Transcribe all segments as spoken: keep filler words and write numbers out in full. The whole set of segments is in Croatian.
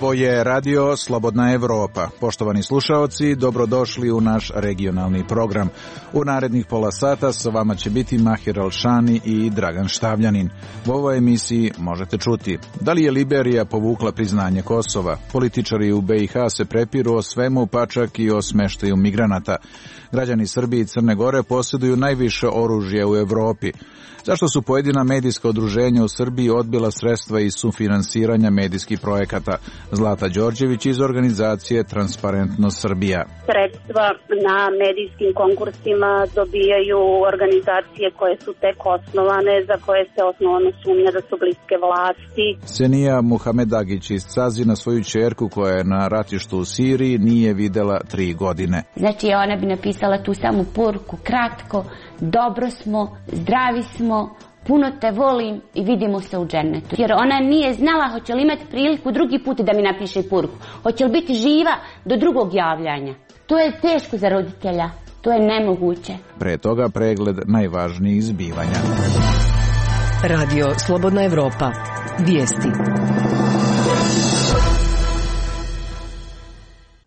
Ovo je radio Slobodna Evropa. Poštovani slušaoci, dobrodošli u naš regionalni program. U narednih pola sata sa vama će biti Mahir Alšani i Dragan Štavljanin. U ovoj emisiji možete čuti: da li je Liberija povukla priznanje Kosova? Političari u B i H se prepiru o svemu, pa čak i o smeštaju migranata. Građani Srbije i Crne Gore posjeduju najviše oružje u Evropi. Zašto su pojedina medijska udruženja u Srbiji odbila sredstva iz sufinansiranja medijskih projekata? Zlata Đorđević iz organizacije Transparentnost Srbija. Sredstva na medijskim konkursima dobijaju organizacije koje su tek osnovane, za koje se osnovno sumnja da su bliske vlasti. Senija Muhamedagić iz Cazina svoju ćerku koja je na ratištu u Siriji nije videla tri godine. Znači ona bi napisala tu samu poruku, kratko: dobro smo, zdravi smo, puno te volim i vidimo se u džennetu. Jer ona nije znala hoće li imati priliku drugi put da mi napiše poruku, hoće li biti živa do drugog javljanja. To je teško za roditelja, to je nemoguće. Pre toga pregled najvažnijih zbivanja. Radio Slobodna Evropa. Vijesti.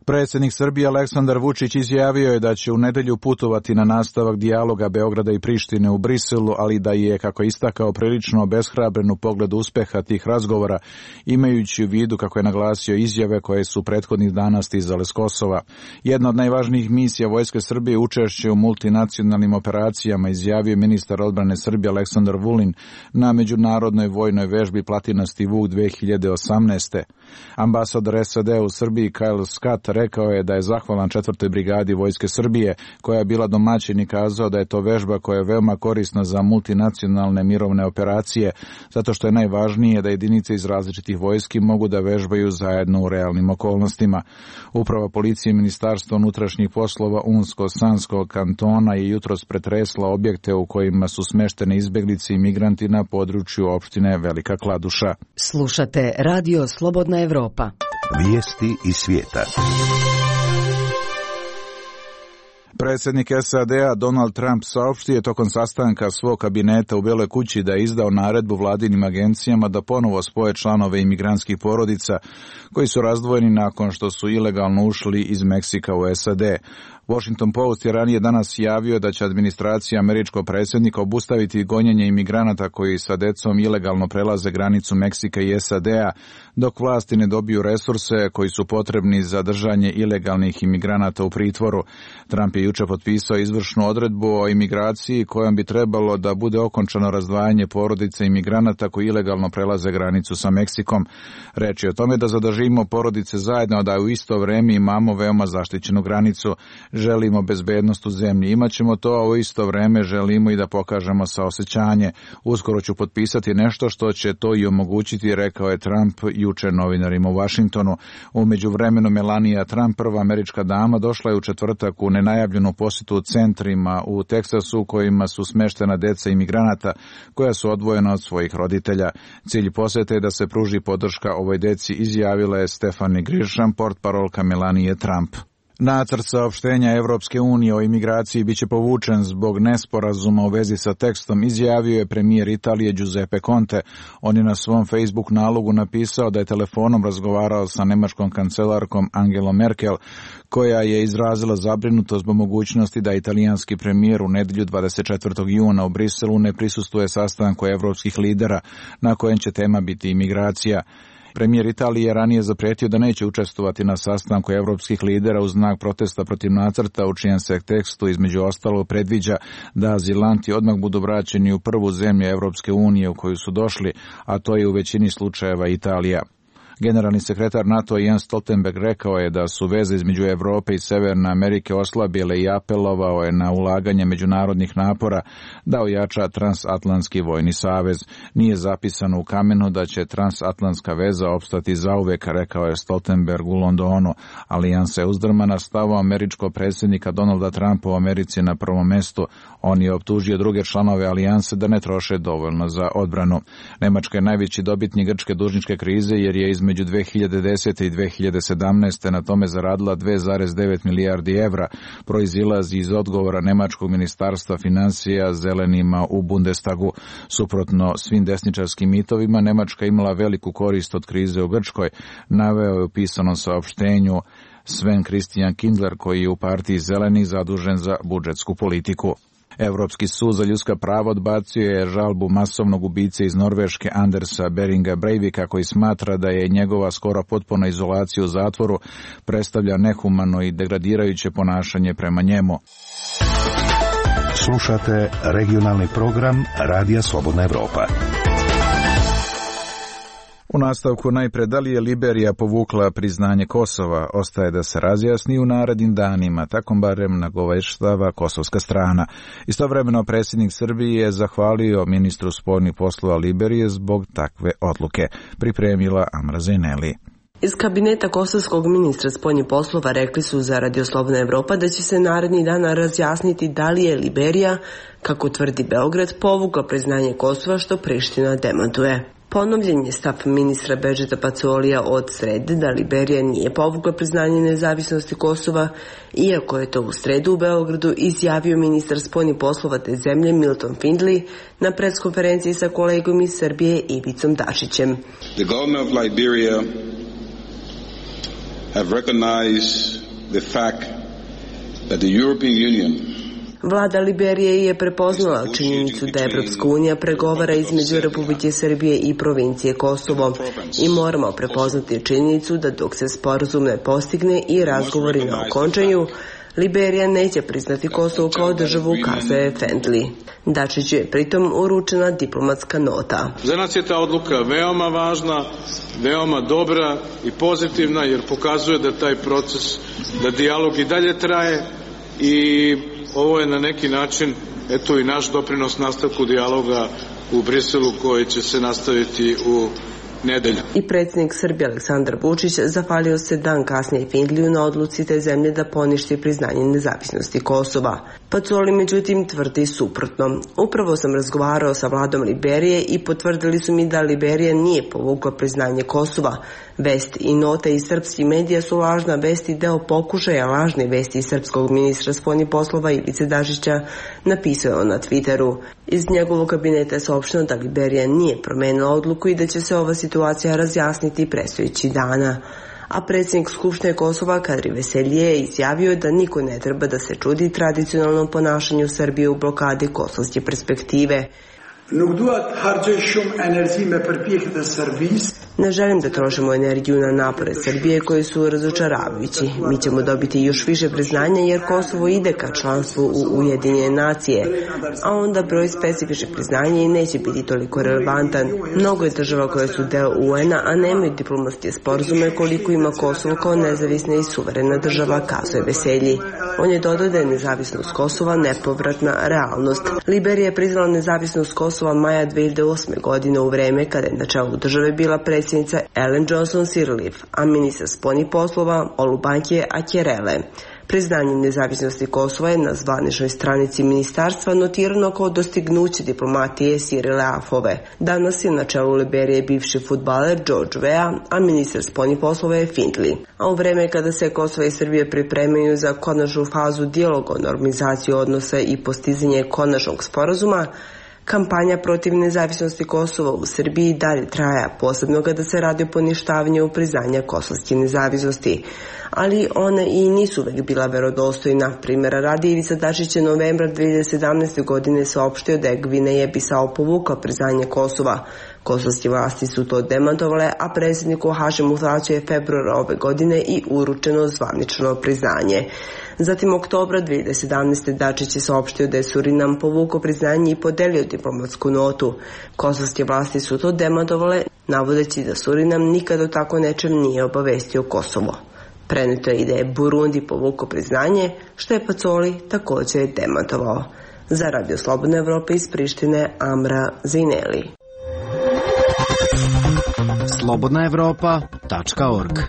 Predsjednik Srbije Aleksandar Vučić izjavio je da će u nedelju putovati na nastavak dijaloga Beograda i Prištine u Briselu, ali da je, kako je istakao, prilično obeshrabren u pogledu uspeha tih razgovora, imajući u vidu, kako je naglasio, izjave koje su prethodnih dana stizale s Kosova. Jedna od najvažnijih misija Vojske Srbije učešće u multinacionalnim operacijama, izjavio ministar odbrane Srbije Aleksandar Vulin na međunarodnoj vojnoj vežbi Platinasti Vuk dve hiljade osamnaeste. Ambasador S A D u Srbiji Kyle Scott rekao je da je zahvalan četvrtoj brigadi Vojske Srbije, koja je bila domaćin, i kazao da je to vežba koja je veoma korisna za multinacionalne mirovne operacije, zato što je najvažnije da jedinice iz različitih vojski mogu da vežbaju zajedno u realnim okolnostima. Uprava policije i Ministarstva unutrašnjih poslova Unsko-Sanskog kantona je jutros pretresla objekte u kojima su smeštene izbeglice i migranti na području opštine Velika Kladuša. Slušate Radio Slobodna Evropa. Vijesti iz svijeta. Predsjednik S A D-a Donald Trump saopštio je tokom sastanka svog kabineta u Beloj kući da je izdao naredbu vladinim agencijama da ponovo spoje članove imigrantskih porodica koji su razdvojeni nakon što su ilegalno ušli iz Meksika u S A D. Washington Post je ranije danas javio da će administracija američkog predsjednika obustaviti gonjenje imigranata koji sa decom ilegalno prelaze granicu Meksika i S A D-a, dok vlasti ne dobiju resurse koji su potrebni za držanje ilegalnih imigranata u pritvoru. Trump je juče potpisao izvršnu odredbu o imigraciji kojom bi trebalo da bude okončano razdvajanje porodice imigranata koji ilegalno prelaze granicu sa Meksikom. Reč je o tome da zadržimo porodice zajedno, da u isto vreme imamo veoma zaštićenu granicu. Želimo bezbednost u zemlji, imaćemo to, a u isto vreme želimo i da pokažemo saosećanje. Uskoro ću potpisati nešto što će to i omogućiti, rekao je Trump juče novinarima u Vašingtonu. U međuvremenu Melania Trump, prva američka dama, došla je u četvrtak u nenajavljenu posjetu centrima u Teksasu u kojima su smeštena deca imigranata koja su odvojena od svojih roditelja. Cilj posjete je da se pruži podrška ovoj deci, izjavila je Stephanie Grisham, portparolka Melanie Trump. Nacrt saopštenja Evropske unije o imigraciji biće povučen zbog nesporazuma u vezi sa tekstom, izjavio je premijer Italije Giuseppe Conte. On je na svom Facebook nalogu napisao da je telefonom razgovarao sa nemačkom kancelarkom Angelom Merkel, koja je izrazila zabrinutost zbog mogućnosti da italijanski premijer u nedjelju dvadeset četvrtog juna u Briselu ne prisustvuje sastanku evropskih lidera, na kojem će tema biti imigracija. Premijer Italije je ranije zaprijetio da neće učestvovati na sastanku evropskih lidera u znak protesta protiv nacrta, u čijem se tekstu između ostalo predviđa da azilanti odmah budu vraćeni u prvu zemlju Evropske unije u koju su došli, a to je u većini slučajeva Italija. Generalni sekretar NATO Jens Stoltenberg rekao je da su veze između Evrope i Severne Amerike oslabile i apelovao je na ulaganje međunarodnih napora da ojača transatlantski vojni savez. Nije zapisano u kamenu da će transatlantska veza opstati zauvek, rekao je Stoltenberg u Londonu. Alijansa je uzdrmana, stavom američkog predsjednika Donalda Trumpa u Americi na prvom mestu. On je optužio druge članove alijanse da ne troše dovoljno za odbranu. Nemačka je najveći dobitnik grčke dužničke krize jer je između između dve hiljade desete i dve hiljade sedamnaeste na tome zaradila dve zarez devet milijardi evra, proizilazi iz odgovora Nemačkog ministarstva financija zelenima u Bundestagu. Suprotno svim desničarskim mitovima, Nemačka imala veliku korist od krize u Grčkoj, naveo je u pisanom saopštenju Sven Christian Kindler, koji je u partiji zelenih zadužen za budžetsku politiku. Evropski sud za ljudska prava odbacio je žalbu masovnog ubice iz Norveške Andersa Beringa Breivika, koji smatra da je njegova skoro potpuna izolacija u zatvoru predstavlja nehumano i degradirajuće ponašanje prema njemu. Slušate regionalni program Radija Slobodna Evropa. U nastavku najpre, da li je Liberija povukla priznanje Kosova, ostaje da se razjasni u narednim danima, tako barem nagoveštava kosovska strana. Istovremeno predsjednik Srbije je zahvalio ministru spoljnih poslova Liberije zbog takve odluke. Pripremila Amra Zeneli. Iz kabineta kosovskog ministra spoljnih poslova rekli su za Radio Slobodna Evropa da će se narednih dana razjasniti da li je Liberija, kako tvrdi Beograd, povukla priznanje Kosova, što Priština demantuje. Ponovljen je stav ministra Bedžeta Pacolija od srede da Liberija nije povukla priznanje nezavisnosti Kosova, iako je to u sredu u Beogradu izjavio ministar spoljnih poslova te zemlje Milton Findley na preskonferenciji sa kolegom iz Srbije Ivicom Dačićem. The government of Liberia have recognized the fact that the European Union Vlada Liberije je prepoznala činjenicu da Evropska unija pregovara između Republike Srbije i provincije Kosovo i moramo prepoznati činjenicu da dok se sporazum ne postigne i razgovori na okončanju, Liberija neće priznati Kosovo kao državu, kazuje Findley. Dačiću je pritom uručena diplomatska nota. Za nas je ta odluka veoma važna, veoma dobra i pozitivna, jer pokazuje da taj proces, da dijalog i dalje traje i ovo je na neki način, eto i naš doprinos nastavku dijaloga u Briselu koji će se nastaviti u nedelju. I predsjednik Srbije Aleksandar Vučić zahvalio se dan kasnije Findleyu na odluci te zemlje da poništi priznanje nezavisnosti Kosova. Pacoli međutim tvrdi suprotno. Upravo sam razgovarao sa vladom Liberije i potvrdili su mi da Liberija nije povukla priznanje Kosova. Vest i nota iz srpskih medija su lažna vest i deo pokušaja lažne vesti iz srpskog ministra spoljnih poslova Ivice Dačića, napisao je on na Twitteru. Iz njegovog kabineta je saopšteno da Liberija nije promenila odluku i da će se ova situacija razjasniti predstojećih dana. A predsjednik Skupštine Kosova Kadri Veselije je izjavio da niko ne treba da se čudi tradicionalnom ponašanju Srbije u blokadi kosovske perspektive. Ne želim da trošimo energiju na napore Srbije koji su razočaravajući. Mi ćemo dobiti još više priznanja jer Kosovo ide ka članstvu u Ujedinjene nacije, a onda broj specifičnih priznanja i neće biti toliko relevantan. Mnogo je država koje su deo U N-a, a nemaju diplomatske sporazume koliko ima Kosovo kao nezavisna i suverena država, kazuje Veselji. On je dodao da je nezavisnost Kosova nepovratna realnost. Liberija je priznala nezavisnost Kosova maja dve hiljade osme. godine u vreme kada je na čelu države bila predsjednica Ellen Johnson Sirleaf, a ministar spoljnih poslova Olubanke Akerele. Priznanje nezavisnosti Kosova je na zvaničnoj stranici ministarstva notirano kao dostignuće diplomatije Sirleafove. Danas je na čelu Liberije bivši fudbaler George Weah, a ministar spoljnih poslova je Findley. A u vreme kada se Kosovo i Srbije pripremaju za konačnu fazu dijaloga o normalizaciji odnosa i postizanje konačnog sporazuma, kampanja protiv nezavisnosti Kosova u Srbiji dalje traja, posebno kada se radi o poništavanju priznanja kosovske nezavisnosti. Ali one i nisu uvek bila verodostojna. Primjera radi, Ivica Dačić je novembra dve hiljade sedamnaeste. godine saopštio da je Gvineja Bisao povukla priznanje Kosova. Kosovske vlasti su to demantovale, a predsjedniku Hašimu Tačiju je februara ove godine i uručeno zvanično priznanje. Zatim oktobra dve hiljade sedamnaeste. Dačić je saopštio da je Surinam povukao priznanje i podelio diplomatsku notu. Kosovske vlasti su to demantovale, navodeći da Surinam nikad o tako nečem nije obavestio Kosovo. Preneto je i da je Burundi povukao priznanje, što je Pacoli također demantovao. Za Radio Slobodna Evropa iz Prištine, Amra Zineli. slobodna evropa tačka org.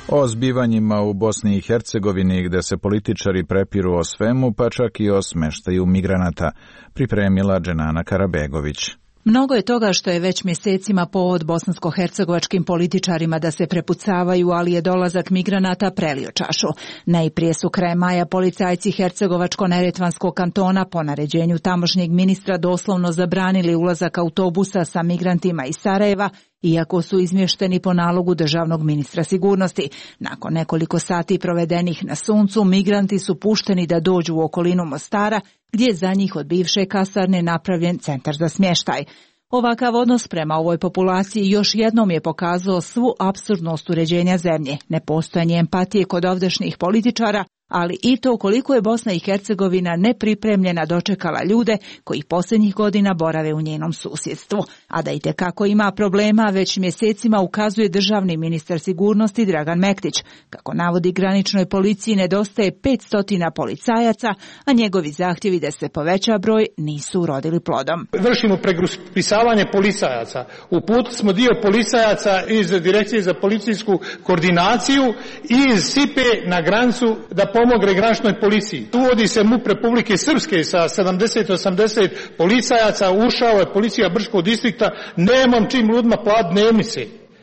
O zbivanjima u Bosni i Hercegovini gde se političari prepiru o svemu, pa čak i o smeštaju migranata, pripremila Dženana Karabegović. Mnogo je toga što je već mjesecima povod bosansko-hercegovačkim političarima da se prepucavaju, ali je dolazak migranata prelio čašu. Najprije su krajem maja policajci Hercegovačko-neretvanskog kantona po naređenju tamošnjeg ministra doslovno zabranili ulazak autobusa sa migrantima iz Sarajeva, iako su izmješteni po nalogu državnog ministra sigurnosti. Nakon nekoliko sati provedenih na suncu, migranti su pušteni da dođu u okolinu Mostara, gdje je za njih od bivše kasarne napravljen centar za smještaj. Ovakav odnos prema ovoj populaciji još jednom je pokazao svu apsurdnost uređenja zemlje, nepostojanje empatije kod ovdašnjih političara, ali i to koliko je Bosna i Hercegovina nepripremljena dočekala ljude koji posljednjih godina borave u njenom susjedstvu. A da itekako ima problema već mjesecima ukazuje državni ministar sigurnosti Dragan Mektić. Kako navodi, graničnoj policiji nedostaje petsto policajaca, a njegovi zahtjevi da se poveća broj nisu urodili plodom. Vršimo pregrupisavanje policajaca. Uputili smo dio policajaca iz Direkcije za policijsku koordinaciju i iz Sipe na granicu da pomogne graničnoj policiji. Uvodi se MUP Republike Srpske sa sedamdeset osamdeset policajaca, ušao je policija Brčkog distrikta, nemam čim ljudima platiti dnevnice,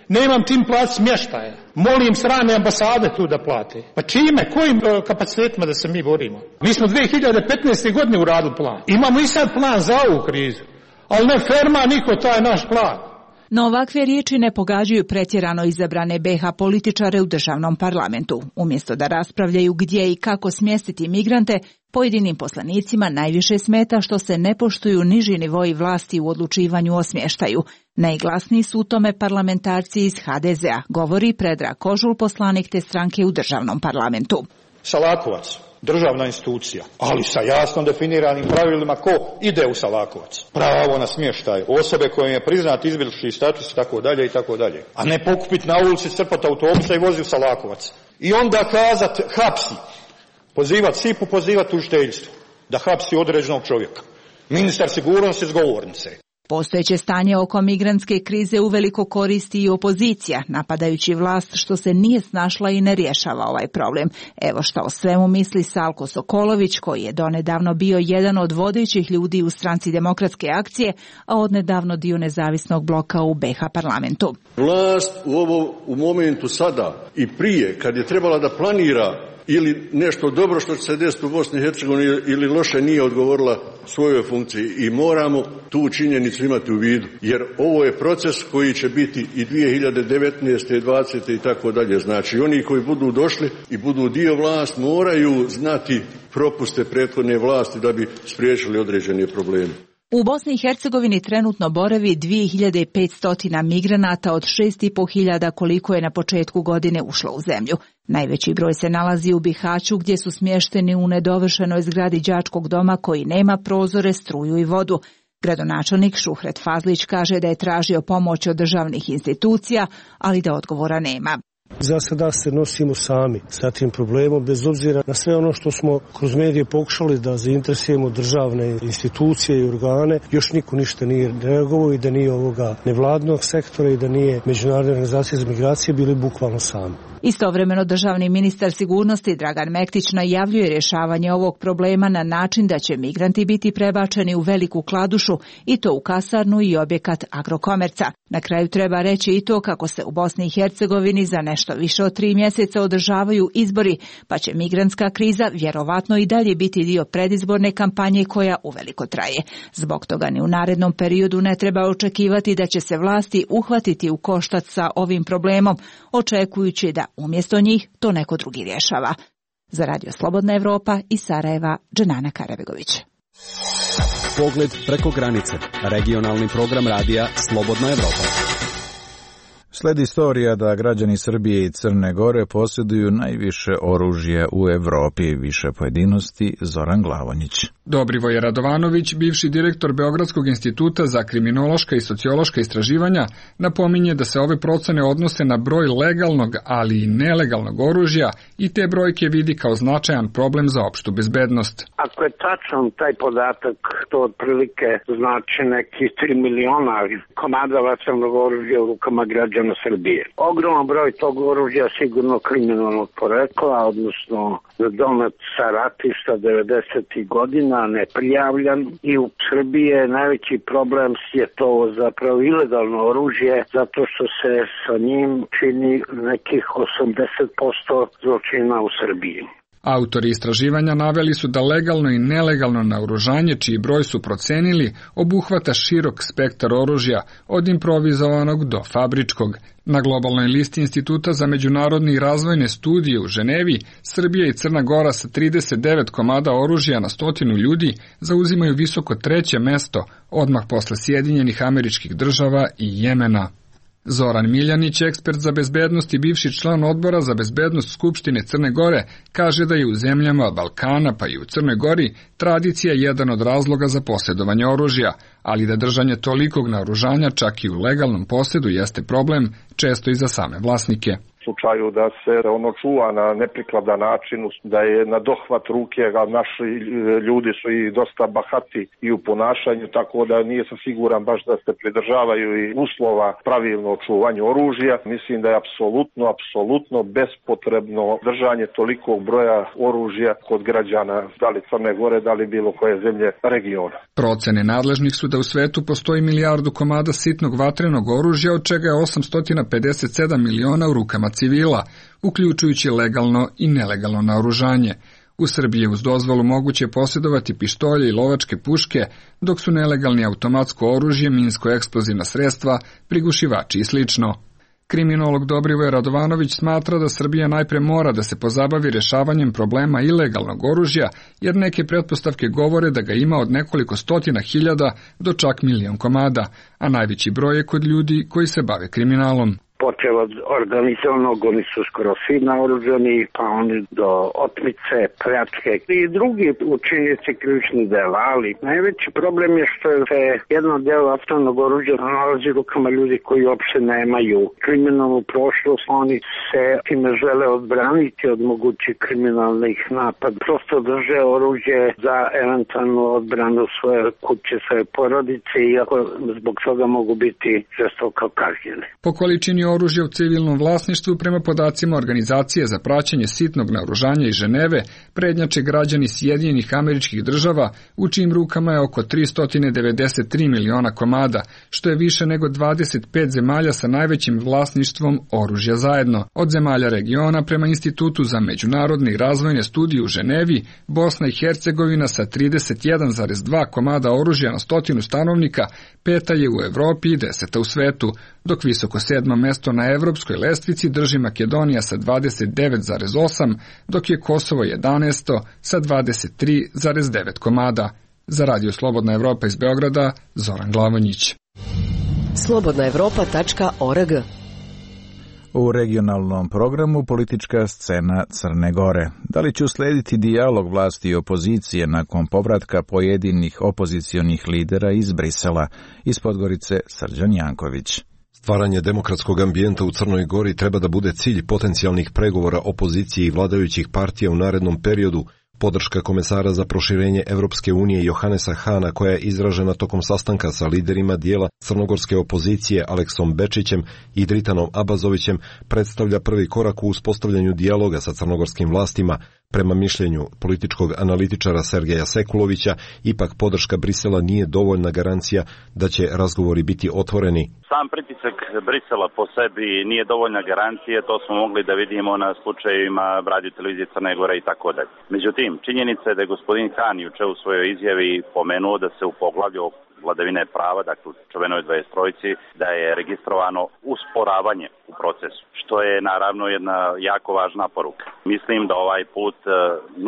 nemam čim platiti smještaje. Molim strane ambasade tu da plate. Pa čime, kojim kapacitetima da se mi borimo? Mi smo dvije hiljade petnaeste. godine uradili plan. Imamo i sad plan za ovu krizu, ali ne ferma niko taj naš plan. No ovakve riječi ne pogađaju pretjerano izabrane be ha političare u državnom parlamentu. Umjesto da raspravljaju gdje i kako smjestiti migrante, pojedinim poslanicima najviše smeta što se ne poštuju niži nivoi vlasti u odlučivanju o smještaju. Najglasniji su u tome parlamentarci iz ha de zea, govori Predrag Kožul, poslanik te stranke u državnom parlamentu. Salakovac, državna institucija, ali sa jasno definiranim pravilima ko ide u Salakovac. Pravo na smještaj, osobe kojim je priznat izbjeglički status i tako dalje i tako dalje. A ne pokupiti na ulici, crpati autobusa i vozi u Salakovac. I onda kazati hapsi, pozivati Sipu, pozivati tužiteljstvo da hapsi određenog čovjeka. Ministar sigurnosti s govornice. Postojeće stanje oko migrantske krize uveliko koristi i opozicija, napadajući vlast što se nije snašla i ne rješava ovaj problem. Evo što o svemu misli Salko Sokolović, koji je donedavno bio jedan od vodećih ljudi u stranci Demokratske akcije, a odnedavno dio nezavisnog bloka u be ha parlamentu. Vlast u ovo u momentu sada i prije, kad je trebala da planira ili nešto dobro što će se desiti u Bosni i Hercegovini ili loše, nije odgovorila svojoj funkciji i moramo tu činjenicu imati u vidu, jer ovo je proces koji će biti i dvije hiljade devetnaeste. dvadesete. i tako dalje. Znači oni koji budu došli i budu dio vlast moraju znati propuste prethodne vlasti da bi spriječili određene probleme. U Bosni i Hercegovini trenutno boravi dvije hiljade petsto migranata od šest i pol hiljada koliko je na početku godine ušlo u zemlju. Najveći broj se nalazi u Bihaću, gdje su smješteni u nedovršenoj zgradi đačkog doma koji nema prozore, struju i vodu. Gradonačelnik Šuhret Fazlić kaže da je tražio pomoć od državnih institucija, ali da odgovora nema. Za sada se nosimo sami sa tim problemom, bez obzira na sve ono što smo kroz medije pokušali da zainteresujemo državne institucije i organe. Još niko ništa nije reagovao i da nije ovoga nevladnog sektora i da nije Međunarodne organizacije za migracije, bili bukvalno sami. Istovremeno državni ministar sigurnosti Dragan Mektić najavljuje rješavanje ovog problema na način da će migranti biti prebačeni u Veliku Kladušu i to u kasarnu i objekat Agrokomerca. Na kraju treba reći i to kako se u Bosni i Hercegovini za nešto više od tri mjeseca održavaju izbori, pa će migrantska kriza vjerovatno i dalje biti dio predizborne kampanje koja uveliko traje. Zbog toga ni u narednom periodu ne treba očekivati da će se vlasti uhvatiti u koštac sa ovim problemom, očekujući da umjesto njih to neko drugi rješava. Za Radio Slobodna Evropa iz Sarajeva, Dženana Karabegović. Pogled preko granice. Regionalni program radija Slobodna Evropa. Sledi istorija da građani Srbije i Crne Gore posjeduju najviše oružja u Evropi. Više pojedinosti Zoran Glavonjić. Dobrivoje Radovanović, bivši direktor Beogradskog instituta za kriminološka i sociološka istraživanja, napominje da se ove procene odnose na broj legalnog, ali i nelegalnog oružja i te brojke vidi kao značajan problem za opštu bezbednost. Ako je tačan taj podatak, to otprilike znači neki tri miliona komada vatrenog oružja u rukama građana građana Srbije. Ogroman broj tog oružja sigurno kriminalnog porekla, odnosno donet sa ratišta devedesetih godina, neprijavljan, i u Srbiji je najveći problem je to zapravo ilegalno oružje, zato što se sa njim čini nekih osamdeset posto zločina u Srbiji. Autori istraživanja naveli su da legalno i nelegalno naoružanje, čiji broj su procenili, obuhvata širok spektar oružja, od improvizovanog do fabričkog. Na globalnoj listi Instituta za međunarodne i razvojne studije u Ženevi, Srbija i Crna Gora sa trideset devet komada oružja na stotinu ljudi zauzimaju visoko treće mesto, odmah posle Sjedinjenih Američkih Država i Jemena. Zoran Miljanić, ekspert za bezbednost i bivši član odbora za bezbednost Skupštine Crne Gore, kaže da je u zemljama Balkana pa i u Crnoj Gori tradicija jedan od razloga za posjedovanje oružja, ali da držanje tolikog naoružanja čak i u legalnom posjedu jeste problem, često i za same vlasnike. U slučaju da se ono čuva na neprikladan način, da je na dohvat ruke, a naši ljudi su i dosta bahati i u ponašanju, tako da nije sam siguran baš da se pridržavaju i uslova pravilno čuvanje oružja. Mislim da je apsolutno, apsolutno bespotrebno držanje tolikog broja oružja kod građana, da li Crne Gore, da li bilo koje zemlje regiona. Procene nadležnih su da u svetu postoji milijardu komada sitnog vatrenog oružja, od čega je osamsto pedeset sedam miliona u rukama civila, uključujući legalno i nelegalno naoružanje. U Srbiji je uz dozvolu moguće posjedovati pištolje i lovačke puške, dok su nelegalni automatsko oružje, minsko-eksplozivna sredstva, prigušivači i slično. Kriminolog Dobrivoje Radovanović smatra da Srbija najpre mora da se pozabavi rešavanjem problema ilegalnog oružja, jer neke pretpostavke govore da ga ima od nekoliko stotina hiljada do čak milion komada, a najveći broj je kod ljudi koji se bave kriminalom. Počeo od organizovanog, oni su skoro svi naoružani, pa oni do otmice, pljačke i drugi učinjenici krivičnih dela, ali najveći problem je što se jedno delo vatrenog oružja nalazi u rukama ljudi koji uopšte nemaju kriminalnu prošlost, oni se time žele odbraniti od mogućih kriminalnih napada. Prosto drže oružje za eventualnu odbranu svoje kuće, svoje porodice, iako zbog toga mogu biti žestoko kažnjeni. Po količini oružja u civilnom vlasništvu, prema podacima Organizacije za praćenje sitnog naoružanja iz Ženeve, prednjače građani Sjedinjenih Američkih Država, u čijim rukama je oko tristo devedeset tri miliona komada, što je više nego dvadeset pet zemalja sa najvećim vlasništvom oružja zajedno. Od zemalja regiona, prema Institutu za međunarodne i razvojne studije u Ženevi, Bosna i Hercegovina sa trideset jedan zarez dva komada oružja na stotinu stanovnika, peta je u Evropi i deseta u svetu, dok visoko sedmo mesto na evropskoj lestvici drži Makedonija sa dvadeset devet zarez osam, dok je Kosovo jedanaesto sa dvadeset tri zarez devet komada. Za Radio Slobodna Evropa iz Beograda, Zoran Glavonjić. slobodna evropa tačka org. U regionalnom programu politička scena Crne Gore. Da li će uslediti dijalog vlasti i opozicije nakon povratka pojedinih opozicionih lidera iz Brisela? Iz Podgorice, Srđan Janković. Stvaranje demokratskog ambijenta u Crnoj Gori treba da bude cilj potencijalnih pregovora opozicije i vladajućih partija u narednom periodu. Podrška komesara za proširenje Evropske unije Johanesa Hana, koja je izražena tokom sastanka sa liderima dijela crnogorske opozicije Aleksom Bečićem i Dritanom Abazovićem, predstavlja prvi korak u uspostavljanju dijaloga sa crnogorskim vlastima. Prema mišljenju političkog analitičara Sergeja Sekulovića, ipak podrška Brisela nije dovoljna garancija da će razgovori biti otvoreni. Sam pritisak Brisela po sebi nije dovoljna garancija, to smo mogli da vidimo na slučajevima Radio televizije Crne Gore i tako dalje. Međutim, činjenica je da je gospodin Han juče u svojoj izjavi pomenuo da se u poglavlju vladavine prava, dakle u čuvenoj dvadeset trojici, da je registrovano usporavanje u procesu, što je naravno jedna jako važna poruka. Mislim da ovaj put e,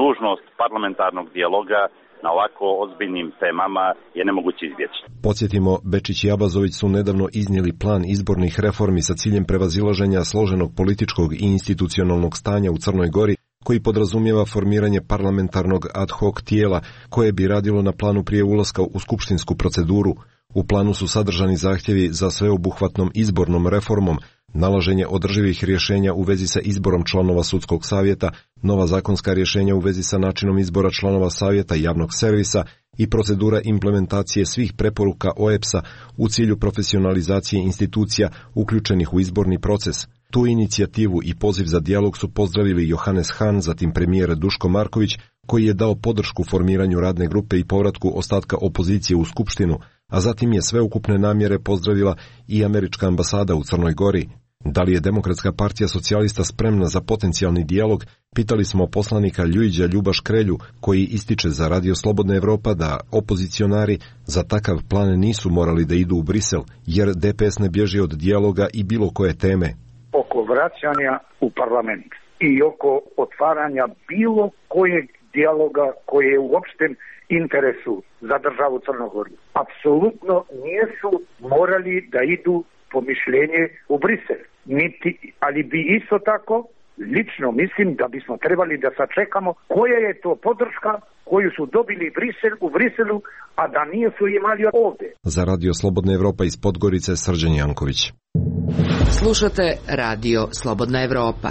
nužnost parlamentarnog dijaloga na ovako ozbiljnim temama je nemoguće izbjeći. Podsjetimo, Bečić i Abazović su nedavno iznijeli plan izbornih reformi sa ciljem prevazilaženja složenog političkog i institucionalnog stanja u Crnoj Gori, koji podrazumijeva formiranje parlamentarnog ad hoc tijela koje bi radilo na planu prije ulaska u skupštinsku proceduru. U planu su sadržani zahtjevi za sveobuhvatnom izbornom reformom, nalaženje održivih rješenja u vezi sa izborom članova sudskog savjeta, nova zakonska rješenja u vezi sa načinom izbora članova savjeta i javnog servisa i procedura implementacije svih preporuka O E B S-a u cilju profesionalizacije institucija uključenih u izborni proces. Tu inicijativu i poziv za dijalog su pozdravili Johannes Hahn, zatim premijer Duško Marković, koji je dao podršku formiranju radne grupe i povratku ostatka opozicije u Skupštinu, a zatim je sveukupne namjere pozdravila i američka ambasada u Crnoj Gori. Da li je Demokratska partija socijalista spremna za potencijalni dijalog, pitali smo poslanika Ljujića Ljuba Škrelju, koji ističe za Radio Slobodna Evropa da opozicionari za takav plan nisu morali da idu u Brisel, jer D P S ne bježi od dijaloga i bilo koje teme. Oko vraćanja u parlament i oko otvaranja bilo kojeg dijaloga koji je u opštem interesu za državu Crnogoru. Apsolutno nisu morali da idu po mišljenje u Brisel. Niti, ali bi isto tako, lično mislim da bismo trebali da sačekamo koja je to podrška koju su dobili Brisel, u Briselu, a da nije su imali ovdje. Za Radio Slobodna Evropa iz Podgorice, Srđan Janković. Slušate Radio Slobodna Evropa.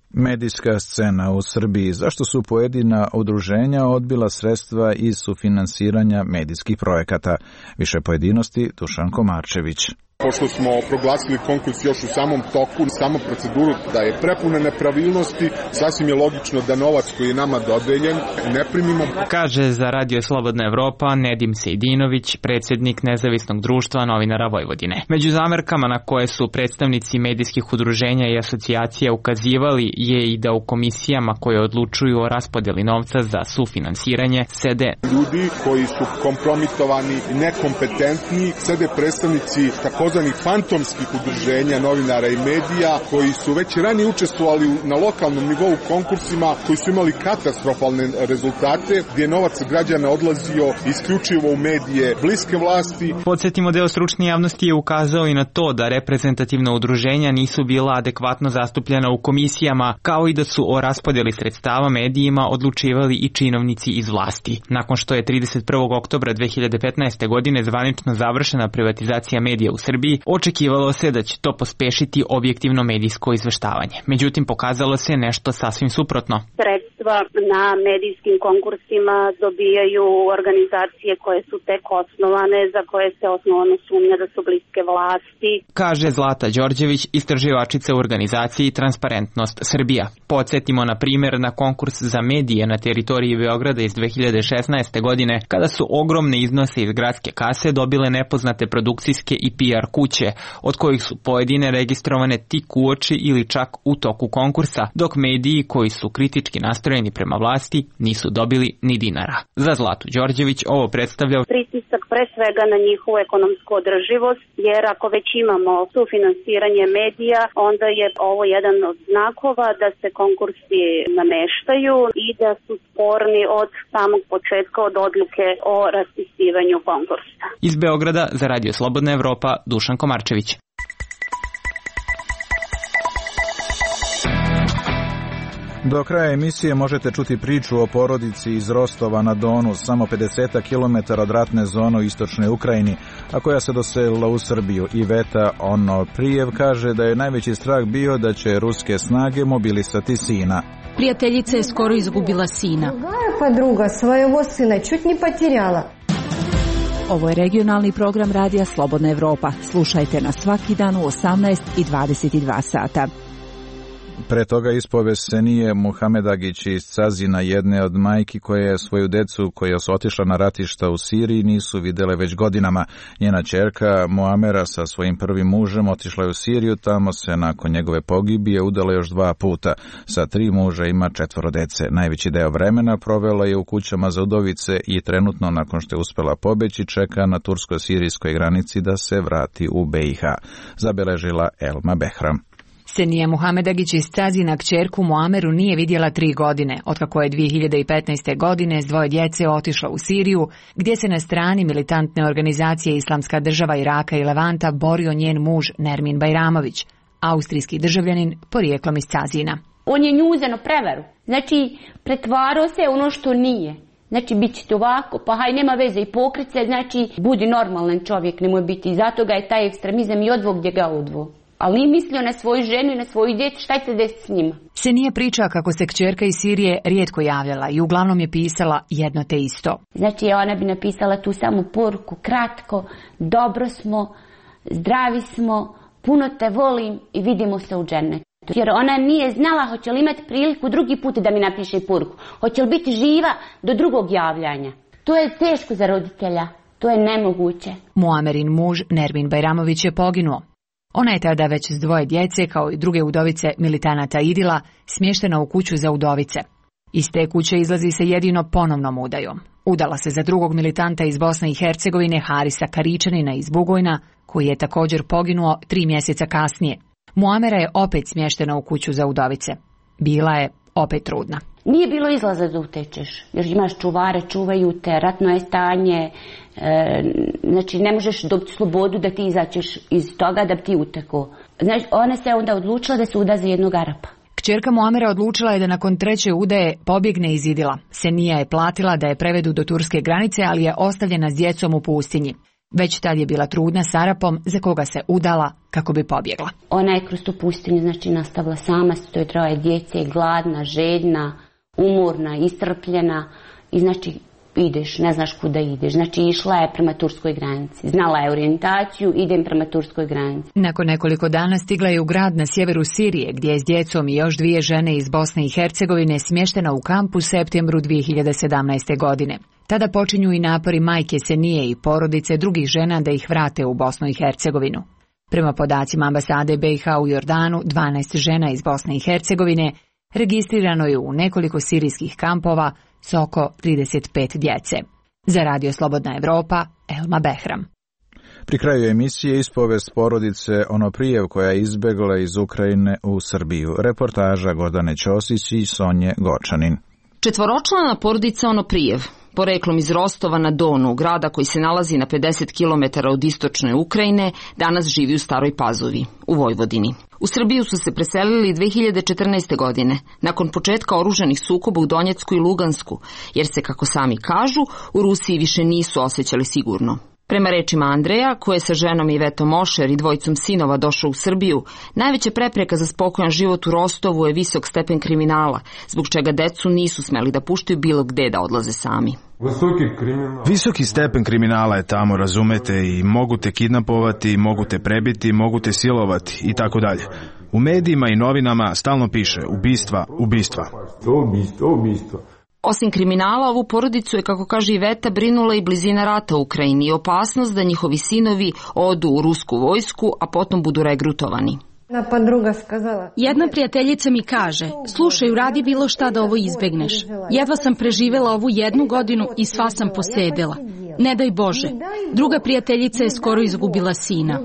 Medijska scena u Srbiji. Zašto su pojedina udruženja odbila sredstva iz sufinansiranja medijskih projekata? Više pojedinosti, Dušan Komarčević. Pošto smo proglasili konkurs još u samom toku, samu proceduru da je prepuna nepravilnosti, sasvim je logično da novac koji je nama dodeljen ne primimo. Kaže za Radio Slobodna Evropa Nedim Sejdinović, predsjednik Nezavisnog društva novinara Vojvodine. Među zamerkama na koje su predstavnici medijskih udruženja i asocijacija ukazivali je i da u komisijama koje odlučuju o raspodjeli novca za sufinansiranje sede ljudi koji su kompromitovani i nekompetentni, sede predstavnici tako takozvanih fantomskih udruženja novinara i medija koji su već ranije učestvovali na lokalnom nivou konkursima koji su imali katastrofalne rezultate gdje je novac građana odlazio isključivo u medije bliske vlasti. Podsjetimo, deo stručne javnosti je ukazao i na to da reprezentativna udruženja nisu bila adekvatno zastupljena u komisijama, kao i da su o raspodjeli sredstava medijima odlučivali i činovnici iz vlasti. Nakon što je trideset prvog oktobra dve hiljade petnaeste. godine zvanično završena privatizacija medija u Srbiji, očekivalo se da će to pospešiti objektivno medijsko izveštavanje. Međutim, pokazalo se nešto sasvim suprotno. Sredstva na medijskim konkursima dobijaju organizacije koje su tek osnovane, za koje se osnovano sumnja da su bliske vlasti. Kaže Zlata Đorđević, istraživačica u organizaciji Transparentnost Srbija. Podsjetimo na primjer na konkurs za medije na teritoriji Beograda iz dve hiljade šesnaeste. godine, kada su ogromne iznose iz gradske kase dobile nepoznate produkcijske i P R kuće, od kojih su pojedine registrovane tik uoči ili čak u toku konkursa, dok mediji koji su kritički nastrojeni prema vlasti nisu dobili ni dinara. Za Zlatu Đorđević ovo predstavlja pritisak pre svega na njihovu ekonomsku održivost, jer ako već imamo sufinansiranje medija, onda je ovo jedan od znakova da se konkursi nameštaju i da su sporni od samog početka, od odluke o raspisivanju konkursa. Iz Beograda za Radio Slobodna Evropa, Dušan Komarčević. Do kraja emisije možete čuti priču o porodici iz Rostova na Donu, samo pedeset kilometara od ratne zone u istočnoj Ukrajini, a koja se doselila u Srbiju. Iveta Onoprijev kaže da je najveći strah bio da će ruske snage mobilisati sina. Prijateljica je skoro izgubila sina. Druga podruga svojego sina čut ni potirala. Ovo je regionalni program Radija Slobodna Evropa. Slušajte nas svaki dan u osamnaest i dvadeset dva sata. Pre toga ispovesenije Muhamedagić iz Cazina, jedne od majki koje je svoju decu koja su otišla na ratišta u Siriji nisu videle već godinama. Njena ćerka Muamera sa svojim prvim mužem otišla je u Siriju, tamo se nakon njegove pogibije udala još dva puta. Sa tri muža ima četvoro dece. Najveći deo vremena provela je u kućama za udovice i trenutno, nakon što je uspela pobeći, čeka na tursko-sirijskoj granici da se vrati u B i H. Zabeležila Elma Behram. Senija Muhamedagić iz Cazina kćerku Muameru nije vidjela tri godine, otkako je dve hiljade petnaeste. godine s dvoje djece otišla u Siriju, gdje se na strani militantne organizacije Islamska država Iraka i Levanta borio njen muž Nermin Bajramović, austrijski državljanin porijeklom iz Cazina. On je nju uzeo na prevaru. Znači, pretvarao se ono što nije. Znači, bit ćete ovako, pa haj, nema veze i pokrit se, znači, budi normalan čovjek, nemoj biti. I zato ga je taj ekstremizam i odvo gdje ga odvo. Ali nije mislio na svoju ženu i na svoju djecu, šta će desiti s njima? Se nije priča kako se kćerka iz Sirije rijetko javljala i uglavnom je pisala jedno te isto. Znači, ona bi napisala tu samu poruku, kratko, dobro smo, zdravi smo, puno te volim i vidimo se u džennetu. Jer ona nije znala hoće li imati priliku drugi put da mi napiše poruku. Hoće li biti živa do drugog javljanja. To je teško za roditelja. To je nemoguće. Muamerin muž Nermin Bajramović je poginuo. Ona je tada već s dvoje djece, kao i druge udovice militanata Idila, smještena u kuću za udovice. Iz te kuće izlazi se jedino ponovnom udajom. Udala se za drugog militanta iz Bosne i Hercegovine, Harisa Karičanina iz Bugojna, koji je također poginuo tri mjeseca kasnije. Muamera je opet smještena u kuću za udovice. Bila je opet trudna. Nije bilo izlaza da utečeš, jer imaš čuvare, čuvaju te, ratno je stanje, e, znači ne možeš dobiti slobodu da ti izaćeš iz toga da bi ti uteko. Znači, ona se onda odlučila da se uda za jednog Arapa. Kćerka Muamera odlučila je da nakon treće udaje pobjegne iz Idila. Senija je platila da je prevedu do turske granice, ali je ostavljena s djecom u pustinji. Već tad je bila trudna s Arapom za koga se udala kako bi pobjegla. Ona je kroz tu pustinju znači nastavila sama, to je troje djece, gladna, željna, umorna, iscrpljena i znači ideš, ne znaš kuda ideš. Znači išla je prema turskoj granici. Znala je orijentaciju, idem prema turskoj granici. Nakon nekoliko dana stigla je u grad na sjeveru Sirije, gdje je s djecom i još dvije žene iz Bosne i Hercegovine smještena u kamp u septembru dvije hiljade sedamnaeste. godine. Tada počinju i napori majke Senije i porodice drugih žena da ih vrate u Bosnu i Hercegovinu. Prema podacima ambasade B i H u Jordanu, dvanaest žena iz Bosne i Hercegovine registrirano je u nekoliko sirijskih kampova s oko trideset pet djece. Za Radio Slobodna Evropa, Elma Behram. Pri kraju emisije ispovest porodice Onoprijev koja je izbjegla iz Ukrajine u Srbiju. Reportaža Gordane Ćosić i Sonje Gočanin. Četvoročlana porodica Onoprijev, poreklom iz Rostova na Donu, grada koji se nalazi na pedeset kilometara od istočne Ukrajine, danas živi u Staroj Pazovi, u Vojvodini. U Srbiju su se preselili dve hiljade četrnaeste. godine, nakon početka oružanih sukoba u Donjecku i Lugansku, jer se, kako sami kažu, u Rusiji više nisu osjećali sigurno. Prema rečima Andreja, koji je sa ženom Ivetom Ošer i dvojicom sinova došao u Srbiju, najveća prepreka za spokojan život u Rostovu je visok stepen kriminala, zbog čega decu nisu smeli da puštaju bilo gde da odlaze sami. Visoki stepen kriminala je tamo, razumete, i mogu te kidnapovati, mogu te prebiti, mogu te silovati i tako dalje. U medijima i novinama stalno piše ubistva, ubistva. Osim kriminala, ovu porodicu je, kako kaže Iveta, brinula i blizina rata u Ukrajini i opasnost da njihovi sinovi odu u rusku vojsku, a potom budu regrutovani. Jedna prijateljica mi kaže, slušaj, uradi bilo šta da ovo izbegneš. Jedva sam preživjela ovu jednu godinu i sva sam posedela. Ne daj Bože. Druga prijateljica je skoro izgubila sina.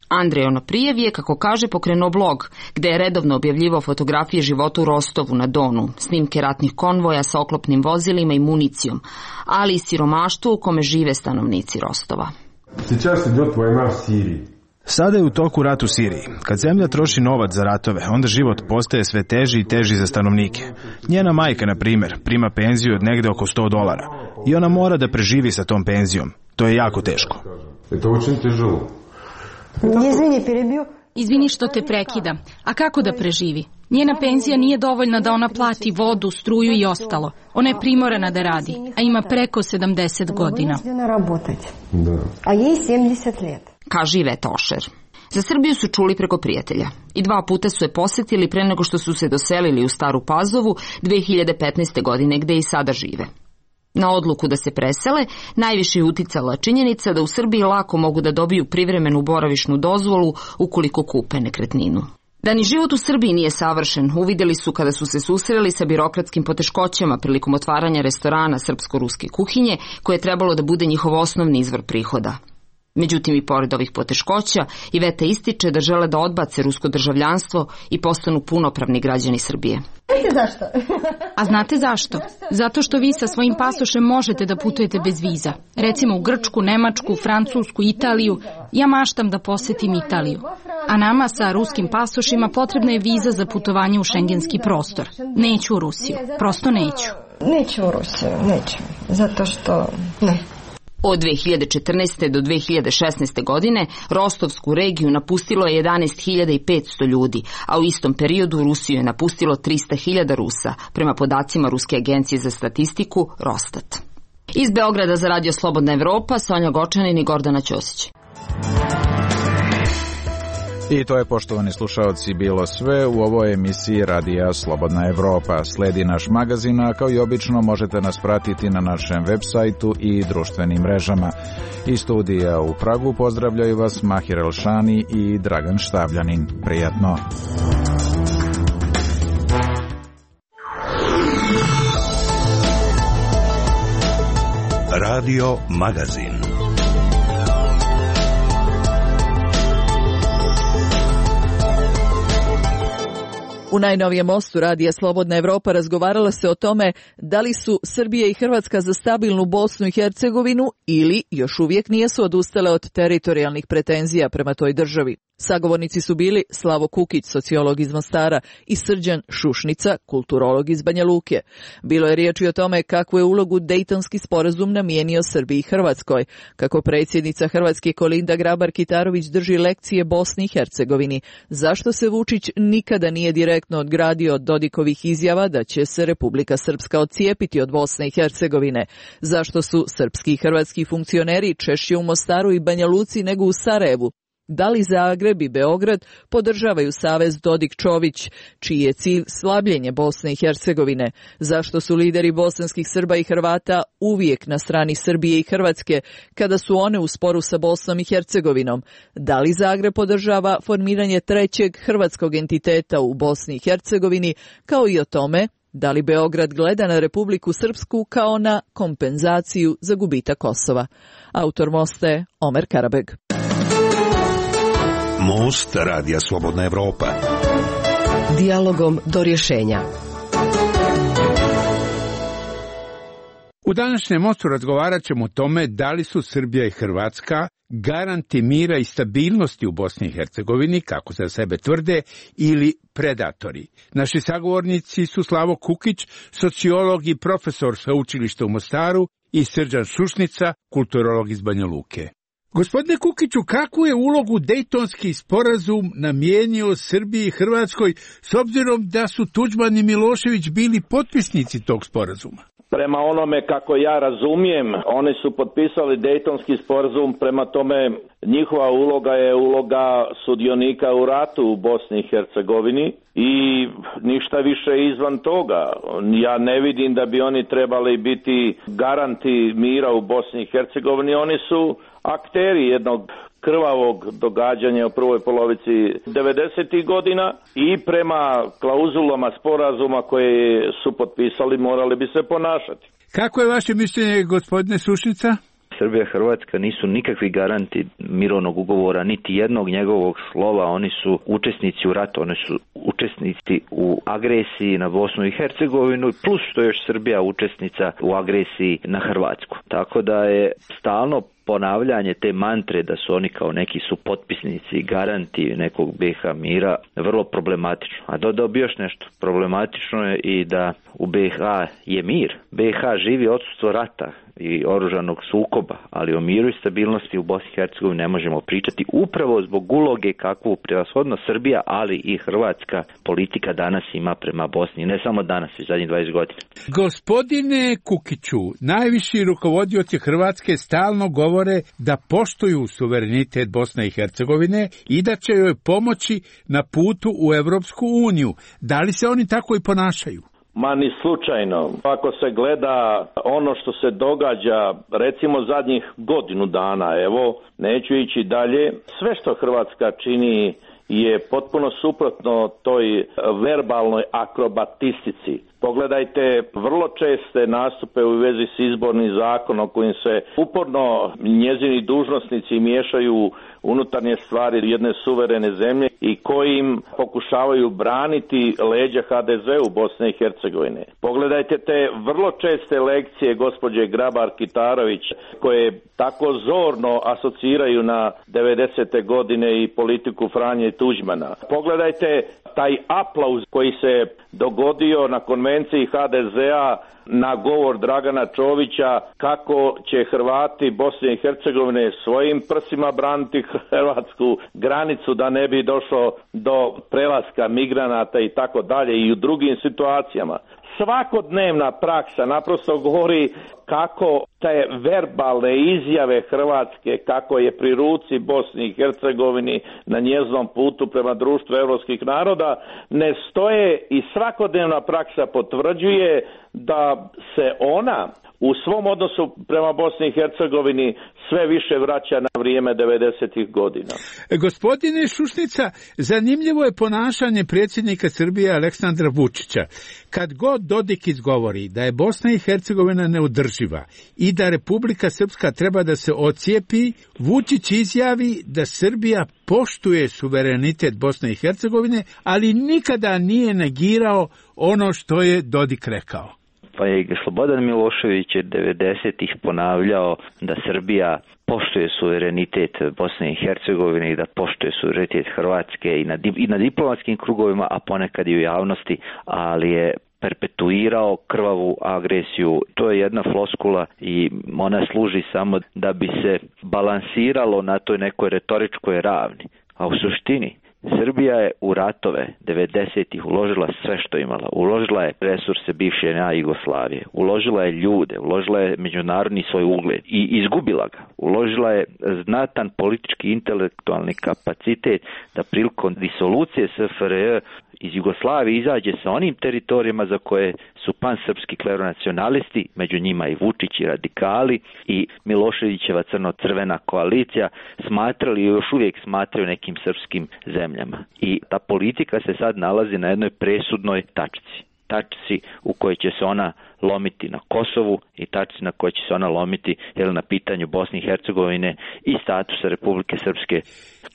Andrej Onoprijev je, kako kaže, pokrenuo blog, gde je redovno objavljivao fotografije života u Rostovu na Donu, snimke ratnih konvoja sa oklopnim vozilima i municijom, ali i siromaštvo u kome žive stanovnici Rostova. Sada je u toku rat u Siriji. Kad zemlja troši novac za ratove, onda život postaje sve teži i teži za stanovnike. Njena majka, na primjer, prima penziju od negde oko sto dolara i ona mora da preživi sa tom penzijom. To je jako teško. Izvini što te prekidam. A kako da preživi? Njena penzija nije dovoljna da ona plati vodu, struju i ostalo. Ona je primorana da radi, a ima preko sedamdeset godina. Kaže Iveta Ošer. Za Srbiju su čuli preko prijatelja i dva puta su je posjetili pre nego što su se doselili u Staru Pazovu dve hiljade petnaeste. godine, gde i sada žive. Na odluku da se presele najviše je uticala činjenica da u Srbiji lako mogu da dobiju privremenu boravišnu dozvolu ukoliko kupe nekretninu. Da ni život u Srbiji nije savršen, uvidjeli su kada su se susreli sa birokratskim poteškoćama prilikom otvaranja restorana srpsko-ruske kuhinje, koje je trebalo da bude njihov osnovni izvor prihoda. Međutim, i pored ovih poteškoća, Iveta ističe da žele da odbace rusko državljanstvo i postanu punopravni građani Srbije. Zašto? A znate zašto? Zato što vi sa svojim pasošem možete da putujete bez viza. Recimo u Grčku, Nemačku, Francusku, Italiju. Ja maštam da posjetim Italiju. A nama sa ruskim pasošima potrebna je viza za putovanje u šengenski prostor. Neću u Rusiju, prosto neću. Neću u Rusiju, neću, zato što ne. Od dve hiljade četrnaeste. do dve hiljade šesnaeste. godine Rostovsku regiju napustilo je jedanaest hiljada petsto ljudi, a u istom periodu Rusiju je napustilo trista hiljada Rusa, prema podacima Ruske agencije za statistiku Rostat. Iz Beograda za Radio Slobodna Evropa, Sonja Gočanin i Gordana Ćosić. I to je, poštovani slušaoci, bilo sve u ovoj emisiji Radija Slobodna Evropa. Sledi naš magazin, a kao i obično možete nas pratiti na našem web sajtu i društvenim mrežama. Iz studija u Pragu pozdravljaju vas Mahir Elšani i Dragan Štavljanin. Prijatno! Radio Magazin. U najnovijem mostu Radija Slobodna Evropa razgovarala se o tome da li su Srbija i Hrvatska za stabilnu Bosnu i Hercegovinu ili još uvijek nisu odustale od teritorijalnih pretenzija prema toj državi. Sagovornici su bili Slavo Kukić, sociolog iz Mostara, i Srđan Šušnica, kulturolog iz Banja Luke. Bilo je riječi o tome kakvu je ulogu Dejtonski sporazum namijenio Srbiji i Hrvatskoj, kako predsjednica Hrvatske Kolinda Grabar-Kitarović drži lekcije Bosni i Hercegovini, zašto se Vučić nikada nije direktno odgradio od Dodikovih izjava da će se Republika Srpska odcijepiti od Bosne i Hercegovine, zašto su srpski i hrvatski funkcioneri češće u Mostaru i Banja Luci nego u Sarajevu. Da li Zagreb i Beograd podržavaju savez Dodik-Čović, čiji je cilj slabljenje Bosne i Hercegovine? Zašto su lideri bosanskih Srba i Hrvata uvijek na strani Srbije i Hrvatske kada su one u sporu sa Bosnom i Hercegovinom? Da li Zagreb podržava formiranje trećeg hrvatskog entiteta u Bosni i Hercegovini, kao i o tome da li Beograd gleda na Republiku Srpsku kao na kompenzaciju za gubitak Kosova? Autor mosta je Omer Karabeg. Most Radija Slobodna Evropa. Dijalogom do rješenja. U današnjem mostu razgovarat ćemo o tome da li su Srbija i Hrvatska garanti mira i stabilnosti u Bosni i Hercegovini, kako za sebe tvrde, ili predatori. Naši sagovornici su Slavo Kukić, sociolog i profesor sveučilišta u Mostaru, i Srđan Šušnica, kulturolog iz Banja Luke. Gospodine Kukiću, kakvu je ulogu Dejtonski sporazum namijenio Srbiji i Hrvatskoj, s obzirom da su Tuđman i Milošević bili potpisnici tog sporazuma? Prema onome kako ja razumijem, oni su potpisali Dejtonski sporazum, prema tome njihova uloga je uloga sudionika u ratu u Bosni i Hercegovini i ništa više izvan toga. Ja ne vidim da bi oni trebali biti garanti mira u Bosni i Hercegovini, oni su akteri jednog krvavog događanja u prvoj polovici devedesetih godina i prema klauzulama sporazuma koje su potpisali morali bi se ponašati. Kako je vaše mišljenje, gospodine Šušnica? Srbija i Hrvatska nisu nikakvi garanti mirovnog ugovora, niti jednog njegovog slova. Oni su učesnici u ratu, oni su učesnici u agresiji na Bosnu i Hercegovinu, plus što je još Srbija učesnica u agresiji na Hrvatsku. Tako da je stalno ponavljanje te mantre da su oni kao neki su potpisnici, garanti nekog B iH mira vrlo problematično. A dodao bi još nešto. Problematično je i da u B iH je mir. B iH živi odsustvo rata i oružanog sukoba, ali o miru i stabilnosti u Bosni i Hercegovini ne možemo pričati upravo zbog uloge kakvu prevashodno Srbija, ali i hrvatska politika danas ima prema Bosni. Ne samo danas, i zadnjih dvadeset godina. Gospodine Kukiću, najviši rukovodioci Hrvatske stalno govore da poštuju suverenitet Bosne i Hercegovine i da će joj pomoći na putu u Evropsku uniju. Da li se oni tako i ponašaju? Ma ni slučajno. Ako se gleda ono što se događa, recimo zadnjih godinu dana, evo, neću ići dalje, sve što Hrvatska čini je potpuno suprotno toj verbalnoj akrobatistici. Pogledajte vrlo česte nastupe u vezi s izbornim zakonom kojim se uporno njezini dužnosnici miješaju unutarnje stvari jedne suverene zemlje i kojim pokušavaju braniti leđa ha de ze u Bosne i Hercegovine. Pogledajte te vrlo česte lekcije gospođe Grabar-Kitarović koje tako zorno asociraju na devedesete godine i politiku Franje Tuđmana. Pogledajte taj aplauz koji se dogodio na konvenciji ha de zea na govor Dragana Čovića kako će Hrvati Bosne i Hercegovine svojim prsima braniti hrvatsku granicu da ne bi došlo do prelaska migranata i tako dalje i u drugim situacijama. Svakodnevna praksa naprosto govori kako te verbalne izjave Hrvatske, kako je pri ruci Bosni i Hercegovini na njezinom putu prema društvu evropskih naroda, ne stoje i svakodnevna praksa potvrđuje da se ona u svom odnosu prema Bosni i Hercegovini sve više vraća na vrijeme devedesetih godina. Gospodine Šušnica, zanimljivo je ponašanje predsjednika Srbije Aleksandra Vučića. Kad god Dodik izgovori da je Bosna i Hercegovina neodrživa i da Republika Srpska treba da se ocijepi, Vučić izjavi da Srbija poštuje suverenitet Bosne i Hercegovine, ali nikada nije negirao ono što je Dodik rekao. Pa je Slobodan Milošević je devedesetih ponavljao da Srbija poštuje suverenitet Bosne i Hercegovine i da poštuje suverenitet Hrvatske i na, i na diplomatskim krugovima, a ponekad i u javnosti, ali je perpetuirao krvavu agresiju. To je jedna floskula i ona služi samo da bi se balansiralo na toj nekoj retoričkoj ravni. A u suštini Srbija je u ratove devedesetih uložila sve što imala. Uložila je resurse bivše na Jugoslavije, uložila je ljude, uložila je međunarodni svoj ugled i izgubila ga. Uložila je znatan politički intelektualni kapacitet da prilikom disolucije es ef er je iz Jugoslavije izađe sa onim teritorijama za koje su pansrpski kleronacionalisti, među njima i Vučić i radikali i Miloševićeva crno-crvena koalicija smatrali i još uvijek smatraju nekim srpskim zemljama. I ta politika se sad nalazi na jednoj presudnoj tačci. Tačci u kojoj će se ona lomiti na Kosovu i tačci na kojoj će se ona lomiti jel, na pitanju Bosne i Hercegovine i statusa Republike Srpske.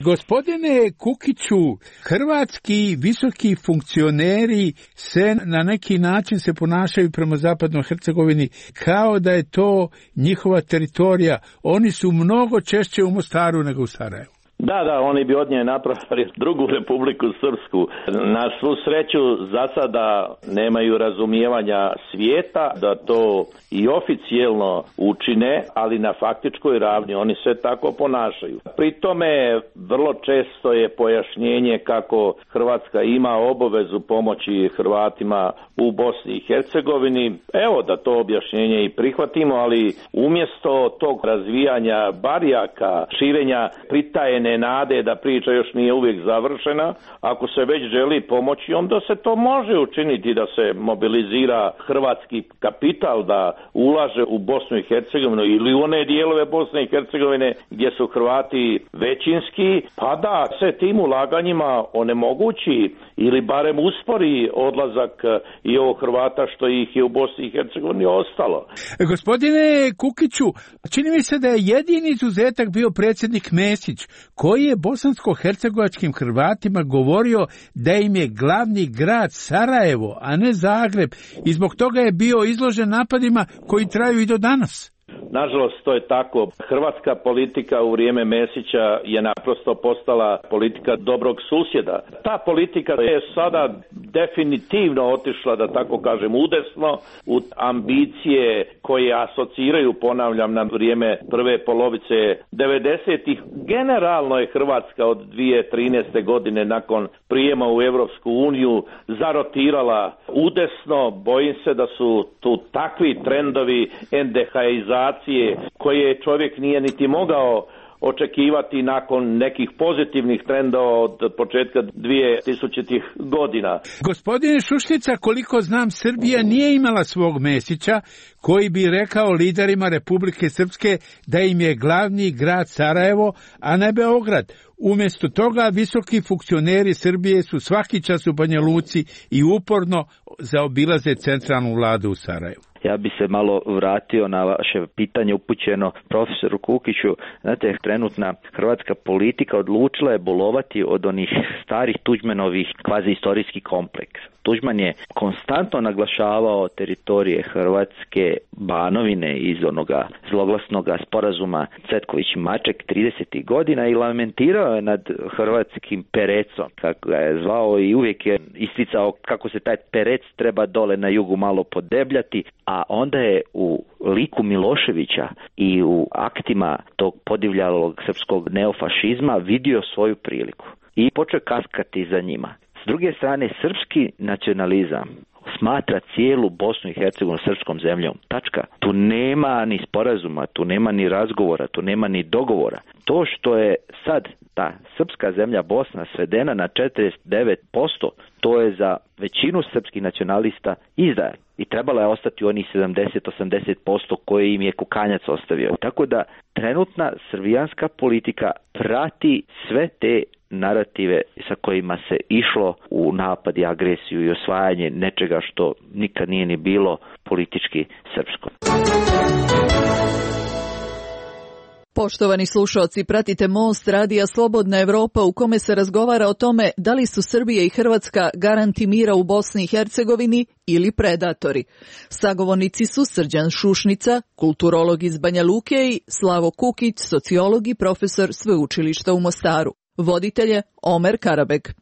Gospodine Kukiću, hrvatski visoki funkcioneri se na neki način se ponašaju prema Zapadnoj Hercegovini kao da je to njihova teritorija. Oni su mnogo češće u Mostaru nego u Sarajevu. Da, da, oni bi od nje napravili drugu Republiku Srpsku. Na svu sreću za sada nemaju razumijevanja svijeta da to i oficijelno učine, ali na faktičkoj ravni oni se tako ponašaju. Pri tome vrlo često je pojašnjenje kako Hrvatska ima obavezu pomoći Hrvatima u Bosni i Hercegovini. Evo da to objašnjenje i prihvatimo, ali umjesto tog razvijanja barjaka, širenja pritajene nade da priča još nije uvijek završena, ako se već želi pomoći, onda se to može učiniti da se mobilizira hrvatski kapital, da ulaže u Bosnu i Hercegovinu ili u one dijelove Bosne i Hercegovine gdje su Hrvati većinski, pa da se tim ulaganjima onemogući ili barem uspori odlazak i ovog Hrvata što ih je u Bosni i Hercegovini ostalo. Gospodine Kukiću, čini mi se da je jedini izuzetak bio predsjednik Mesić, koji je bosansko-hercegovačkim Hrvatima govorio da im je glavni grad Sarajevo, a ne Zagreb, i zbog toga je bio izložen napadima koji traju i do danas. Nažalost, to je tako. Hrvatska politika u vrijeme Mesića je naprosto postala politika dobrog susjeda. Ta politika je sada definitivno otišla, da tako kažem, udesno u ambicije koje asociraju, ponavljam, na vrijeme prve polovice devedesetih. Generalno je Hrvatska od dvije tisuće trinaeste. godine nakon prijema u Europsku uniju zarotirala udesno. Bojim se da su tu takvi trendovi endehaizacije koje čovjek nije niti mogao očekivati nakon nekih pozitivnih trendova od početka dvije tisućitih godina. Gospodine Šušnica, koliko znam, Srbija nije imala svog Mesića koji bi rekao liderima Republike Srpske da im je glavni grad Sarajevo, a ne Beograd. Umjesto toga visoki funkcioneri Srbije su svaki čas u Banja Luci i uporno zaobilaze centralnu vladu u Sarajevu. Ja bi se malo vratio na vaše pitanje upućeno profesoru Kukiću. Znate, trenutna hrvatska politika odlučila je bolovati od onih starih Tuđmanovih kvazi istorijskih kompleks. Tuđman je konstantno naglašavao teritorije Hrvatske, Banovine iz onoga zloglasnog sporazuma Cvetković-Maček tridesetih godina i lamentirao je nad hrvatskim perecom, kako ga je zvao, i uvijek je isticao kako se taj perec treba dole na jugu malo podebljati, a onda je u liku Miloševića i u aktima tog podivljalog srpskog neofašizma vidio svoju priliku i počeo kaskati za njima. S druge strane, srpski nacionalizam smatra cijelu Bosnu i Hercegovinu srpskom zemljom. Tačka. Tu nema ni sporazuma, tu nema ni razgovora, tu nema ni dogovora. To što je sad ta srpska zemlja Bosna svedena na četrdeset devet posto, to je za većinu srpskih nacionalista izdaja. I trebala je ostati onih sedamdeset do osamdeset posto koje im je Kukanjac ostavio. Tako da trenutna srbijanska politika prati sve te narative sa kojima se išlo u napad i agresiju i osvajanje nečega što nikad nije ni bilo politički srpsko. Poštovani slušalci, pratite Most radija Slobodna Evropa u kome se razgovara o tome da li su Srbija i Hrvatska garanti mira u Bosni i Hercegovini ili predatori. Sagovornici su Srđan Šušnica, kulturolog iz Banja Luke, i Slavo Kukić, sociolog i profesor sveučilišta u Mostaru. Voditelje Omer Karabek.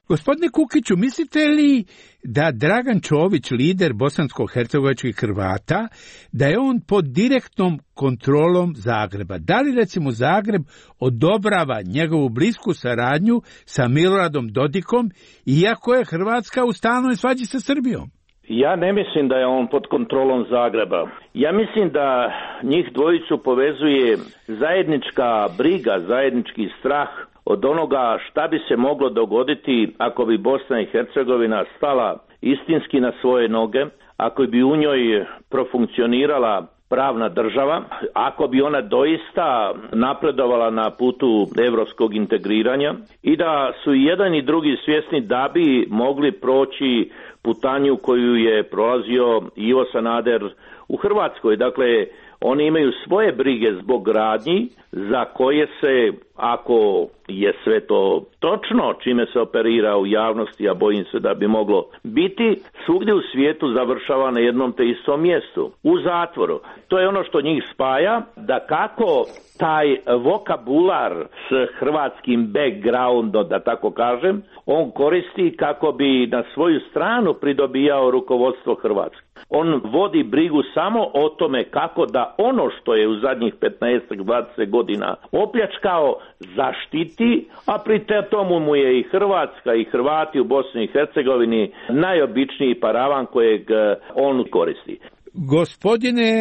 Gospodine Kukiću, mislite li da Dragan Čović, lider bosansko-hercegovačkih Hrvata, da je on pod direktnom kontrolom Zagreba? Da li recimo Zagreb odobrava njegovu blisku saradnju sa Miloradom Dodikom, iako je Hrvatska u stalnoj svađi sa Srbijom? Ja ne mislim da je on pod kontrolom Zagreba. Ja mislim da njih dvojicu povezuje zajednička briga, zajednički strah od onoga šta bi se moglo dogoditi ako bi Bosna i Hercegovina stala istinski na svoje noge, ako bi u njoj profunkcionirala pravna država, ako bi ona doista napredovala na putu evropskog integriranja i da su i jedan i drugi svjesni da bi mogli proći putanju koju je prolazio Ivo Sanader u Hrvatskoj. Dakle, oni imaju svoje brige zbog radnji za koje se, ako je sve to točno čime se operira u javnosti, a bojim se da bi moglo biti, svugdje u svijetu završava na jednom te istom mjestu, u zatvoru. To je ono što njih spaja, da kako taj vokabular s hrvatskim backgroundom, da tako kažem, on koristi kako bi na svoju stranu pridobijao rukovodstvo Hrvatske. On vodi brigu samo o tome kako da ono što je u zadnjih petnaest do dvadeset godina opljačkao zaštiti, a pri tomu mu je i Hrvatska i Hrvati u Bosni i Hercegovini najobičniji paravan kojeg on koristi. Gospodine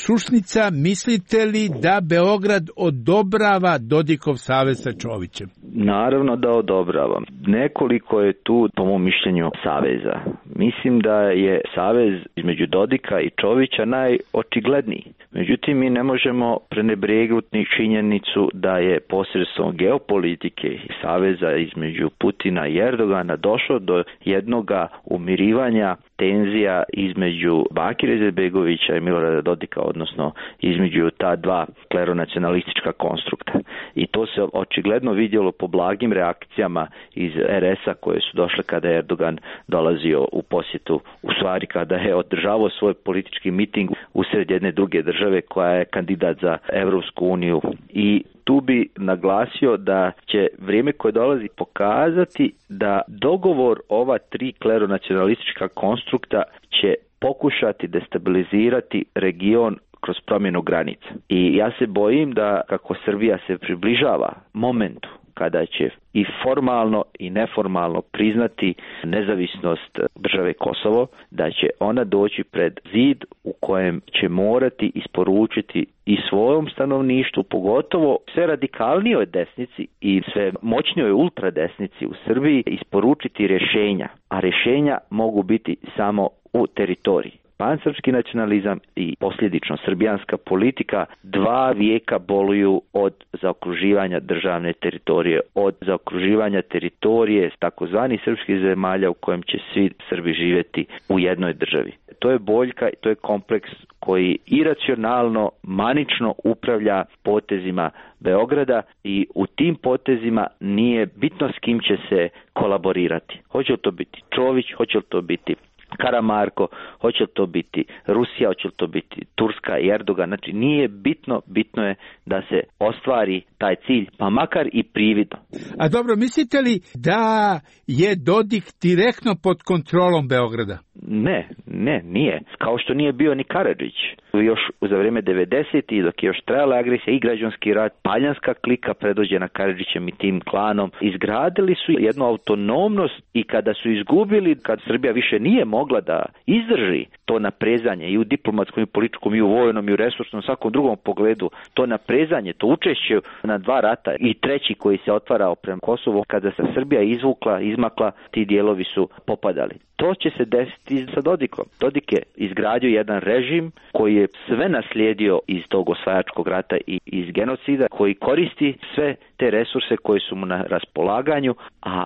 Šušnica, mislite li da Beograd odobrava Dodikov savez sa Čovićem? Naravno da odobravam. Nekoliko je tu, po mom mišljenju, saveza. Mislim da je savez između Dodika i Čovića najočigledniji. Međutim, mi ne možemo prenebregnuti činjenicu da je posredstvom geopolitike i saveza između Putina i Erdogana došlo do jednoga umirivanja tenzija između Bakira Izetbegovića i Milorada Dodika, odnosno između ta dva kleronacionalistička konstrukta. I to se očigledno vidjelo po blagim reakcijama iz er es a koje su došle kada je Erdogan dolazio u posjetu, u stvari kada je održavao svoj politički miting usred jedne druge države koja je kandidat za Evropsku uniju. I tu bi naglasio da će vrijeme koje dolazi pokazati da dogovor ova tri kleronacionalistička konstrukta će pokušati destabilizirati region kroz promjenu granica. I ja se bojim da kako Srbija se približava momentu kada će i formalno i neformalno priznati nezavisnost države Kosovo, da će ona doći pred zid u kojem će morati isporučiti i svojom stanovništvu, pogotovo sve radikalnijoj desnici i sve moćnijoj ultradesnici u Srbiji, isporučiti rješenja, a rješenja mogu biti samo u teritoriji. Pansrpski nacionalizam i posljedično srbijanska politika dva vijeka boluju od zaokruživanja državne teritorije, od zaokruživanja teritorije takozvanih srpskih zemalja u kojem će svi Srbi živjeti u jednoj državi. To je boljka i to je kompleks koji iracionalno, manično upravlja potezima Beograda i u tim potezima nije bitno s kim će se kolaborirati. Hoće li to biti Čović, hoće li to biti Karamarko, hoće li to biti Rusija, hoće li to biti Turska i Erdogan, znači nije bitno, bitno je da se ostvari taj cilj, pa makar i prividno. A dobro, mislite li da je Dodik direktno pod kontrolom Beograda? Ne, ne, nije. Kao što nije bio ni Karadžić. Još za vrijeme devedesetih, dok je još trajala agresija i građanski rat, paljanska klika predvođena Karadžićem i tim klanom izgradili su jednu autonomnost i kada su izgubili, kad Srbija više nije mogla da izdrži to naprezanje i u diplomatskom i političkom i u vojnom i u resursnom svakom drugom pogledu, to naprezanje, to učešće na dva rata i treći koji se otvarao prema Kosovu, kada se Srbija izvukla, izmakla, ti dijelovi su popadali. To će se desiti sa Dodikom. Dodik je izgradio jedan režim koji je sve naslijedio iz tog osvajačkog rata i iz genocida, koji koristi sve te resurse koji su mu na raspolaganju, a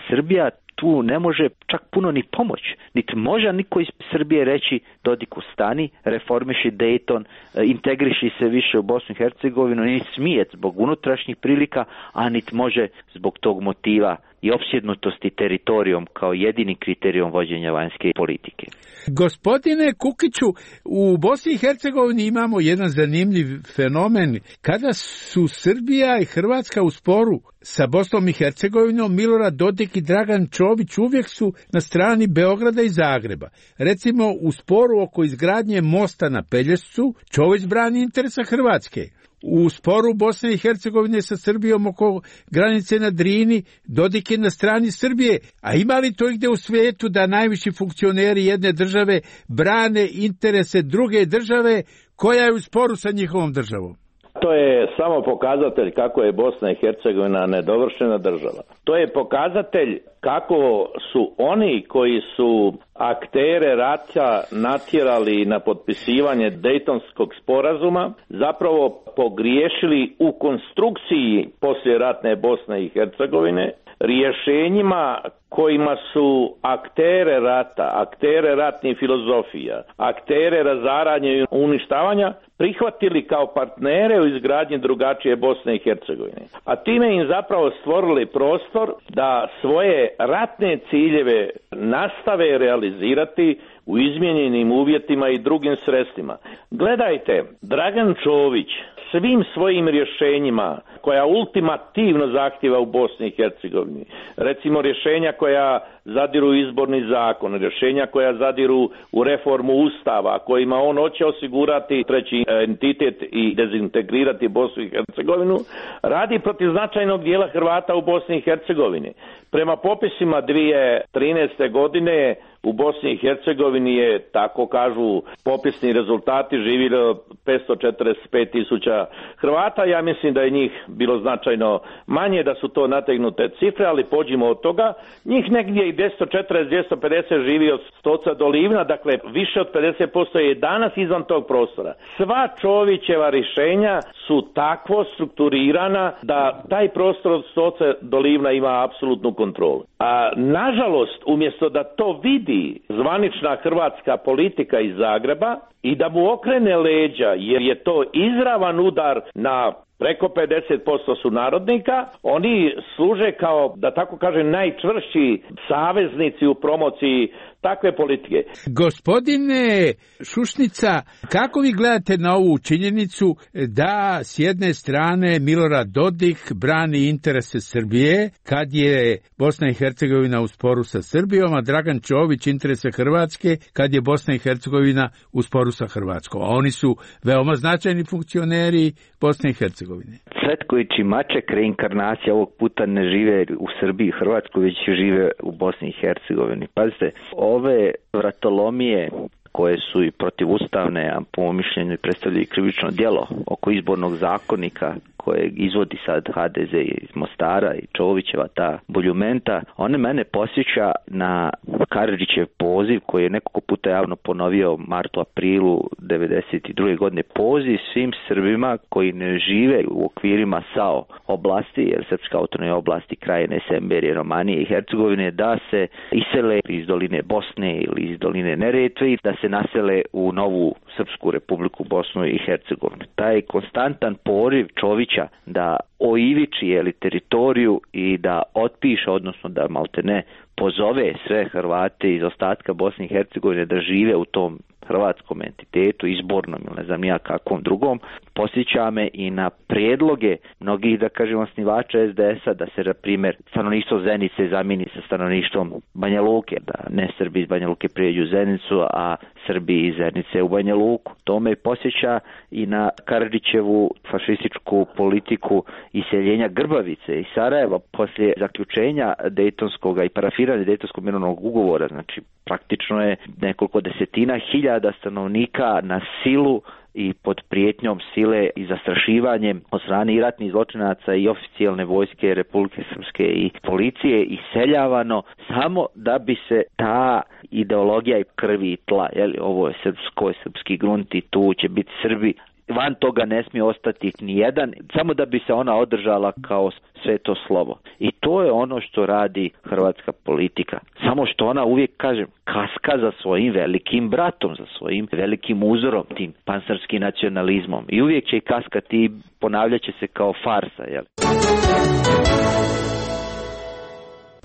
Srbija tu ne može čak puno ni pomoć. Niti može niko iz Srbije reći Dodiku stani, reformiši Dayton, integriši se više u Bosnu i Hercegovinu, niti smije zbog unutrašnjih prilika, a niti može zbog tog motiva i opsjednutosti teritorijom kao jedini kriterijom vođenja vanjske politike. Gospodine Kukiću, u Bosni i Hercegovini imamo jedan zanimljiv fenomen. Kada su Srbija i Hrvatska u sporu sa Bosnom i Hercegovinom, Milorad Dodik i Dragan Čović uvijek su na strani Beograda i Zagreba. Recimo, u sporu oko izgradnje mosta na Pelješcu, Čović brani interesa Hrvatske. U sporu Bosne i Hercegovine sa Srbijom oko granice na Drini, Dodik je na strani Srbije. A ima li to gdje u svijetu da najviši funkcioneri jedne države brane interese druge države koja je u sporu sa njihovom državom? To je samo pokazatelj kako je Bosna i Hercegovina nedovršena država. To je pokazatelj kako su oni koji su aktere rata natjerali na potpisivanje Dejtonskog sporazuma zapravo pogriješili u konstrukciji poslijeratne Bosne i Hercegovine, rješenjima kojima su aktere rata, aktere ratnih filozofija, aktere razaranja i uništavanja prihvatili kao partnere u izgradnji drugačije Bosne i Hercegovine. A time im zapravo stvorili prostor da svoje ratne ciljeve nastave realizirati u izmijenjenim uvjetima i drugim sredstvima. Gledajte, Dragan Čović svim svojim rješenjima koja ultimativno zahtjeva u Bosni i Hercegovini, recimo rješenja koja zadiru u izborni zakon, rješenja koja zadiru u reformu Ustava, kojima on hoće osigurati treći entitet i dezintegrirati Bosnu i Hercegovinu, radi protiv značajnog dijela Hrvata u Bosni i Hercegovini. Prema popisima dvije tisuće trinaeste. godine u Bosni i Hercegovini je, tako kažu popisni rezultati, živjelo petsto četrdeset pet tisuća Hrvata. Ja mislim da je njih bilo značajno manje, da su to nategnute cifre, ali pođimo od toga. Njih negdje i dvjesto četrdeset do dvjesto pedeset živi od Stoca do Livna, dakle više od pedeset posto je danas izvan tog prostora. Sva Čovićeva rješenja su takvo strukturirana da taj prostor od Stoca do Livna ima apsolutnu kontrolu. A nažalost, umjesto da to vidi zvanična hrvatska politika iz Zagreba i da mu okrene leđa, jer je to izravan udar na preko pedeset posto sunarodnika, oni služe kao, da tako kažem, najčvršći saveznici u promociji takve politike. Gospodine Šušnica, kako vi gledate na ovu činjenicu da s jedne strane Milorad Dodik brani interese Srbije kad je Bosna i Hercegovina u sporu sa Srbijom, a Dragan Čović interese Hrvatske kad je Bosna i Hercegovina u sporu sa Hrvatskom. A oni su veoma značajni funkcioneri Bosne i Hercegovine. Hercegovine? Cvetković i Maček, reinkarnacija, ovog puta ne žive u Srbiji i Hrvatskoj, već žive u Bosni i Hercegovini. Pazite, ove vratolomije koje su i protivustavne, a po mom mišljenju predstavljaju krivično djelo oko izbornog zakonika koje izvodi sad ha de ze iz Mostara i Čovićeva ta buljumenta, one mene posjeća na Karadžićev poziv koji je nekoliko puta javno ponovio martu, aprilu devedeset druge godine. Poziv svim Srbima koji ne žive u okvirima S A O oblasti, jer Srpska autonomna oblasti, Krajine, Semberije, Romanije i Hercegovine, da se isele iz doline Bosne ili iz doline Neretve i da se nasele u novu Srpsku republiku Bosnu i Hercegovinu. Taj konstantan poriv Čovića da oiviči jeli, teritoriju i da otpiše, odnosno da maltene pozove sve Hrvate iz ostatka Bosne i Hercegovine da žive u tom hrvatskom entitetu, izbornom ili ne znam nija kakvom drugom, posjeća me i na prijedloge mnogih, da kažem, osnivača es de es a da se, na primjer, stanovništvo Zenice zamijeni sa stanovništvom Banja Luke, da ne Srbi iz Banja Luke prijeđu u Zenicu, a Srbi iz Zenice u Banja Luku. To me posjeća i na Karadžićevu fašističku politiku iseljenja Grbavice i Sarajeva poslije zaključenja Dejtonskog i parafiranja Dejtonskog mirovnog ugovora. Znači, praktično je nekoliko desetina hiljada stanovnika na silu i pod prijetnjom sile i zastrašivanjem od strane i ratnih zločinaca i oficijalne vojske Republike Srpske i policije iseljavano samo da bi se ta ideologija i krvi i tla, jeli, ovo je srpsko, je srpski grunt i tu će biti Srbi, van toga ne smije ostati ni jedan, samo da bi se ona održala kao sveto slovo. I to je ono što radi hrvatska politika. Samo što ona uvijek, kažem, kaska za svojim velikim bratom, za svojim velikim uzorom, tim pansrskim nacionalizmom. I uvijek će i kaskati i ponavljat će se kao farsa, jel?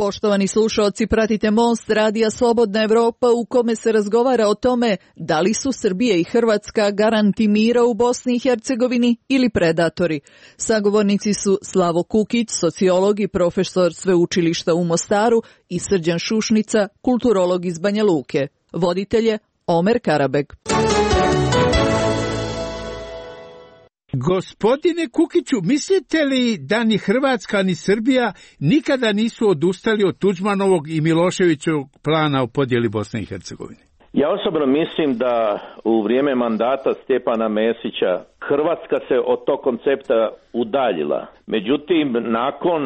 Poštovani slušaoci, pratite Most radija Slobodna Evropa u kome se razgovara o tome da li su Srbija i Hrvatska garanti mira u Bosni i Hercegovini ili predatori. Sagovornici su Slavo Kukić, sociolog i profesor sveučilišta u Mostaru, i Srđan Šušnica, kulturolog iz Banja Luke. Voditelj je Omer Karabeg. Gospodine Kukiću, mislite li da ni Hrvatska ni Srbija nikada nisu odustali od Tuđmanovog i Miloševićevog plana o podjeli Bosne i Hercegovine? Ja osobno mislim da u vrijeme mandata Stjepana Mesića Hrvatska se od tog koncepta udaljila. Međutim, nakon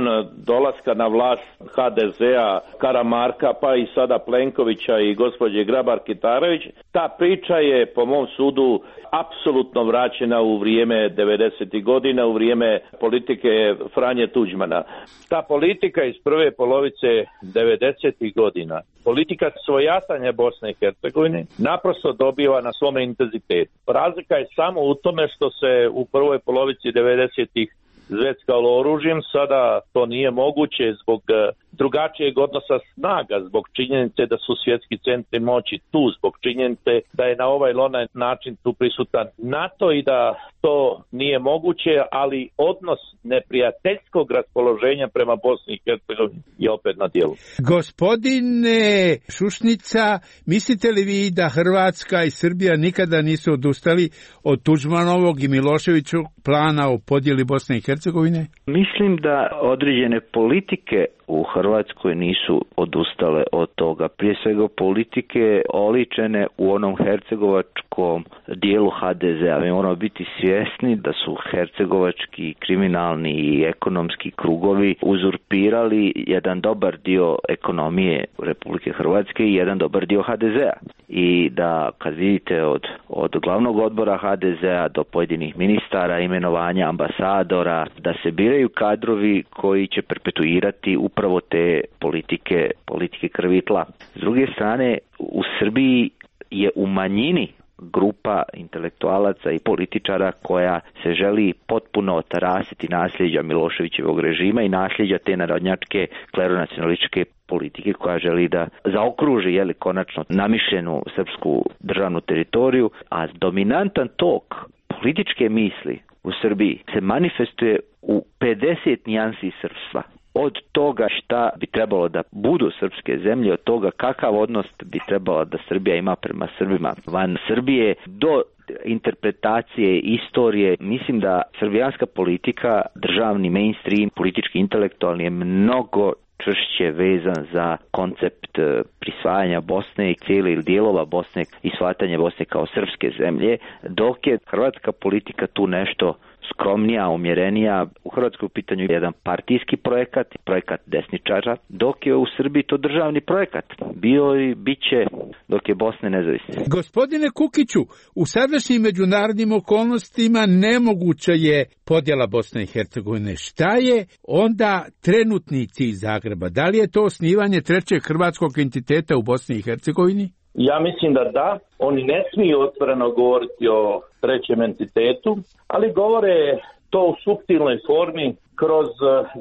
dolaska na vlast ha de ze a, Karamarka, pa i sada Plenkovića i gospođe Grabar-Kitarović, ta priča je po mom sudu apsolutno vraćena u vrijeme devedesetih godina, u vrijeme politike Franje Tuđmana. Ta politika iz prve polovice devedesetih godina, politika svojatanja Bosne i Hercegovine, naprosto dobiva na svome intenzitetu. Razlika je samo u tome što se u prvoj polovici devedesetih zveckalo oružjem, sada to nije moguće zbog drugačijeg odnosa snaga, zbog činjenice da su svjetski centri moći tu, zbog činjenice da je na ovaj ili onaj način tu prisutan NATO i da to nije moguće, ali odnos neprijateljskog raspoloženja prema Bosni i Hercegovini je opet na dijelu. Gospodine Šušnica, mislite li vi da Hrvatska i Srbija nikada nisu odustali od Tuđmanovog i Miloševićevog plana o podjeli Bosne i Hercegovine? Mislim da određene politike u Hrvatskoj nisu odustale od toga. Prije svega politike oličene u onom hercegovačkom dijelu ha de ze a. Mi moramo biti svjesni da su hercegovački kriminalni i ekonomski krugovi uzurpirali jedan dobar dio ekonomije Republike Hrvatske i jedan dobar dio ha de ze a. I da kad vidite od, od glavnog odbora ha de ze a do pojedinih ministara, imenovanja ambasadora, da se biraju kadrovi koji će perpetuirati upravo te politike, politike krvi i tla. S druge strane, u Srbiji je u manjini grupa intelektualaca i političara koja se želi potpuno otarasiti nasljeđa Miloševićevog režima i nasljeđa te narodnjačke kleronacionalističke politike koja želi da zaokruži, jeli, konačno namišljenu srpsku državnu teritoriju, a dominantan tok političke misli u Srbiji se manifestuje u pedeset nijansi srpstva. Od toga šta bi trebalo da budu srpske zemlje, od toga kakav odnos bi trebalo da Srbija ima prema Srbima van Srbije, do interpretacije istorije. Mislim da srbijanska politika, državni mainstream, politički intelektualni je mnogo čvršće vezan za koncept prisvajanja Bosne i cijeli ili dijelova Bosne i shvatanje Bosne kao srpske zemlje, dok je hrvatska politika tu nešto skromnija, umjerenija. U Hrvatskoj u pitanju je jedan partijski projekat, projekat desničara, dok je u Srbiji to državni projekat. Bio i bit će dok je Bosna nezavisna. Gospodine Kukiću, u sadašnjim međunarodnim okolnostima nemoguća je podjela Bosne i Hercegovine. Šta je onda trenutni cilj Zagreba? Da li je to osnivanje trećeg hrvatskog entiteta u Bosni i Hercegovini? Ja mislim da da. Oni ne smiju otvoreno govoriti o trećem entitetu, ali govore to u suptilnoj formi kroz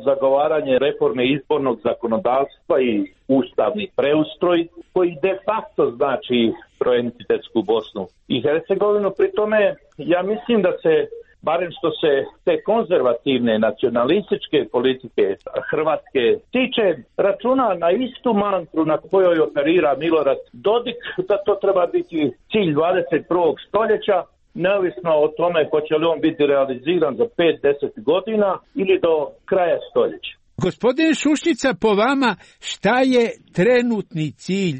zagovaranje reforme izbornog zakonodavstva i ustavni preustroj, koji de facto znači troentitetsku Bosnu i Hercegovinu. Pri tome ja mislim da se, barem što se te konzervativne nacionalističke politike Hrvatske tiče, računa na istu mantru na kojoj operira Milorad Dodik, da to treba biti cilj dvadeset prvog stoljeća, neovisno o tome hoće li on biti realiziran za pet do deset godina ili do kraja stoljeća. Gospodine Šušnica, po vama šta je trenutni cilj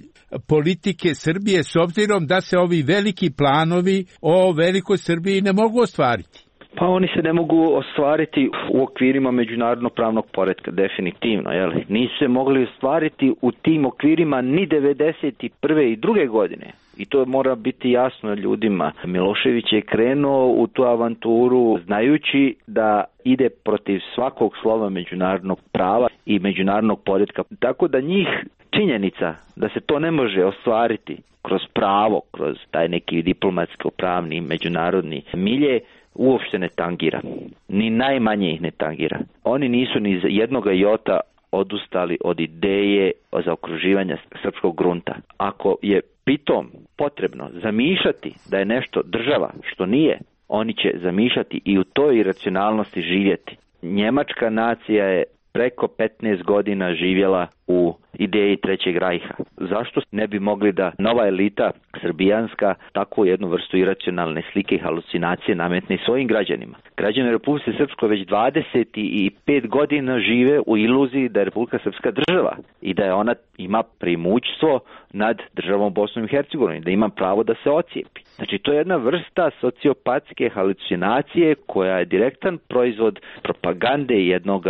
politike Srbije s obzirom da se ovi veliki planovi o velikoj Srbiji ne mogu ostvariti? Pa oni se ne mogu ostvariti u okvirima međunarodnog pravnog poretka, definitivno. Jel? Nisu se mogli ostvariti u tim okvirima ni devedeset prve i druge godine. I to mora biti jasno ljudima. Milošević je krenuo u tu avanturu znajući da ide protiv svakog slova međunarodnog prava i međunarodnog poretka. Tako da njih činjenica da se to ne može ostvariti kroz pravo, kroz taj neki diplomatsko-pravni međunarodni milje, uopšte ne tangira. Ni najmanje ih ne tangira. Oni nisu ni za jednoga jota odustali od ideje o zaokruživanja srpskog grunta. Ako je pritom potrebno zamišljati da je nešto država što nije, oni će zamišljati i u toj iracionalnosti živjeti. Njemačka nacija je preko petnaest godina živjela u ideji Trećeg rajha. Zašto ne bi mogli da nova elita srbijanska takvu jednu vrstu iracionalne slike i halucinacije nametne svojim građanima? Građani Republike Srpske već dvadeset pet godina žive u iluziji da je Republika Srpska država i da je ona ima premoćstvo nad državom Bosnom i Hercegovinom, da ima pravo da se ocijepi. Znači, to je jedna vrsta sociopatske halucinacije koja je direktan proizvod propagande jednog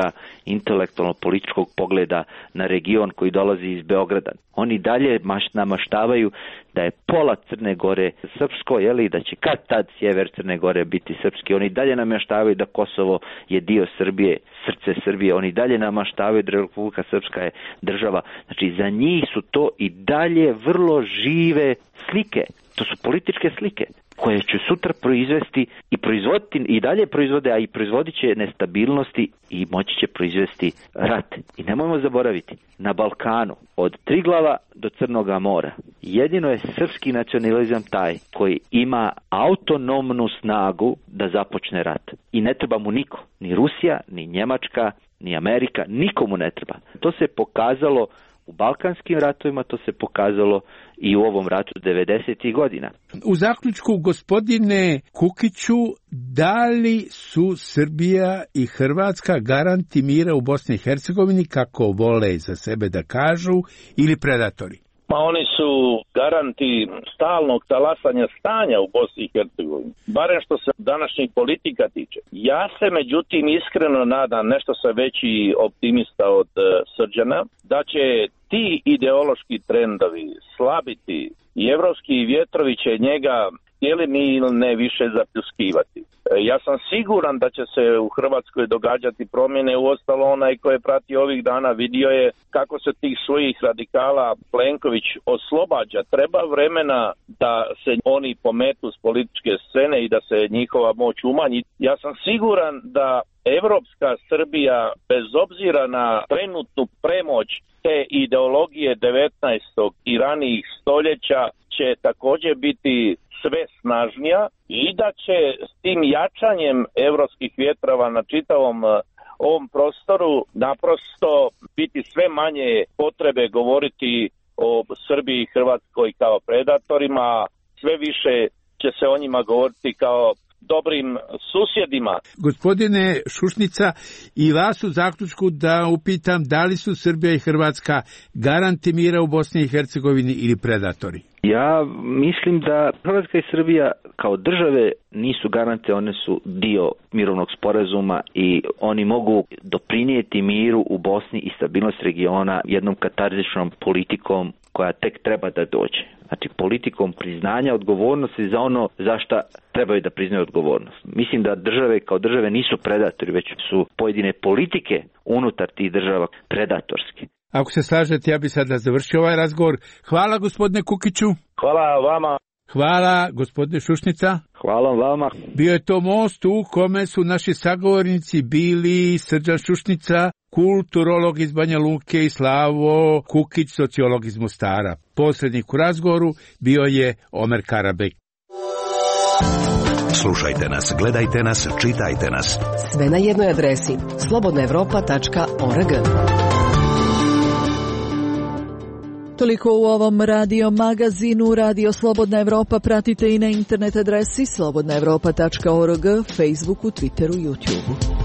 intelektualno-političkog pogleda na region koji dolazi iz Beograda. Oni dalje namaštavaju da je pola Crne Gore srpsko, jeli, da će kad tad sjever Crne Gore biti srpski. Oni dalje namaštavaju da Kosovo je dio Srbije, srce Srbije. Oni dalje namaštavaju da Republika Srpska je država. Znači, za njih su to i dalje vrlo žive slike. To su političke slike koje će sutra proizvesti i proizvoditi i dalje proizvode, a i proizvodit će nestabilnosti i moći će proizvesti rat. I nemojmo zaboraviti, na Balkanu od Triglava do Crnoga mora jedino je srpski nacionalizam taj koji ima autonomnu snagu da započne rat. I ne treba mu niko, ni Rusija, ni Njemačka, ni Amerika, nikomu ne treba. To se pokazalo u balkanskim ratovima, to se pokazalo i u ovom ratu devedesetih godina. U zaključku, gospodine Kukiću, da li su Srbija i Hrvatska garanti mira u Bosni i Hercegovini, kako vole za sebe da kažu, ili predatori? Pa oni su garanti stalnog talasanja stanja u Bosni i Hercegovini, barem što se današnjih politika tiče. Ja se međutim iskreno nadam, nešto sam veći optimista od uh, Srđana, da će ti ideološki trendovi slabiti i evropski vjetrovi će njega htjeli mi ili ne više zapljuskivati. Ja sam siguran da će se u Hrvatskoj događati promjene, uostalo onaj ko je pratio ovih dana vidio je kako se tih svojih radikala Plenković oslobađa. Treba vremena da se oni pometu s političke scene i da se njihova moć umanji. Ja sam siguran da evropska Srbija, bez obzira na trenutnu premoć te ideologije devetnaestog i ranijih stoljeća, će također biti sve snažnija i da će s tim jačanjem evropskih vjetrova na čitavom ovom prostoru naprosto biti sve manje potrebe govoriti o Srbiji i Hrvatskoj kao predatorima, sve više će se o njima govoriti kao dobrim susjedima. Gospodine Šušnica, i vas u zaključku da upitam da li su Srbija i Hrvatska garanti mira u Bosni i Hercegovini ili predatori? Ja mislim da Hrvatska i Srbija kao države nisu garante, one su dio mirovnog sporazuma i oni mogu doprinijeti miru u Bosni i stabilnost regiona jednom katarzičnom politikom koja tek treba da dođe. Znači politikom priznanja odgovornosti za ono za šta trebaju da priznaju odgovornost. Mislim da države kao države nisu predatori, već su pojedine politike unutar tih država predatorske. Ako se slažete, ja bi sada završio ovaj razgovor. Hvala gospodine Kukiću. Hvala vama. Hvala gospodine Šušnica. Hvala vama. Bio je to most u kome su naši sagovornici bili Srđan Šušnica, kulturolog iz Banja Luke, i Slavo Kukić, sociolog iz Mostara. Posrednik u razgovoru bio je Omer Karabek. Slušajte nas, gledajte nas, čitajte nas. Sve na jednoj adresi slobodna evropa tačka org. Toliko u ovom radio magazinu. Radio Slobodna Evropa pratite i na internet adresi slobodna evropa tačka org, Facebooku, Twitteru, YouTubeu.